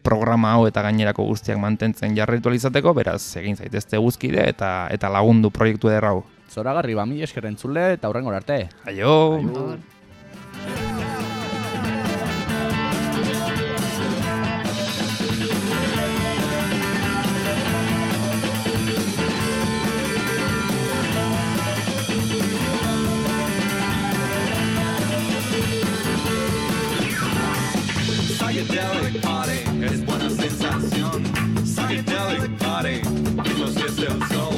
[SPEAKER 3] programa hau eta gainerako guztiak mantentzen jarraitu izateko, beraz egin zaitezte guzkide eta lagundu proiektu eder hau.
[SPEAKER 2] Zoragarri, mila esker entzule eta hurrengora arte.
[SPEAKER 3] Aio!
[SPEAKER 1] Psychedelic party es buena sensación. Psychedelic party, ritmos desde el sol.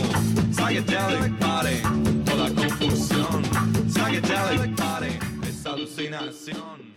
[SPEAKER 1] Psychedelic party, toda confusión. Psychedelic party es alucinación.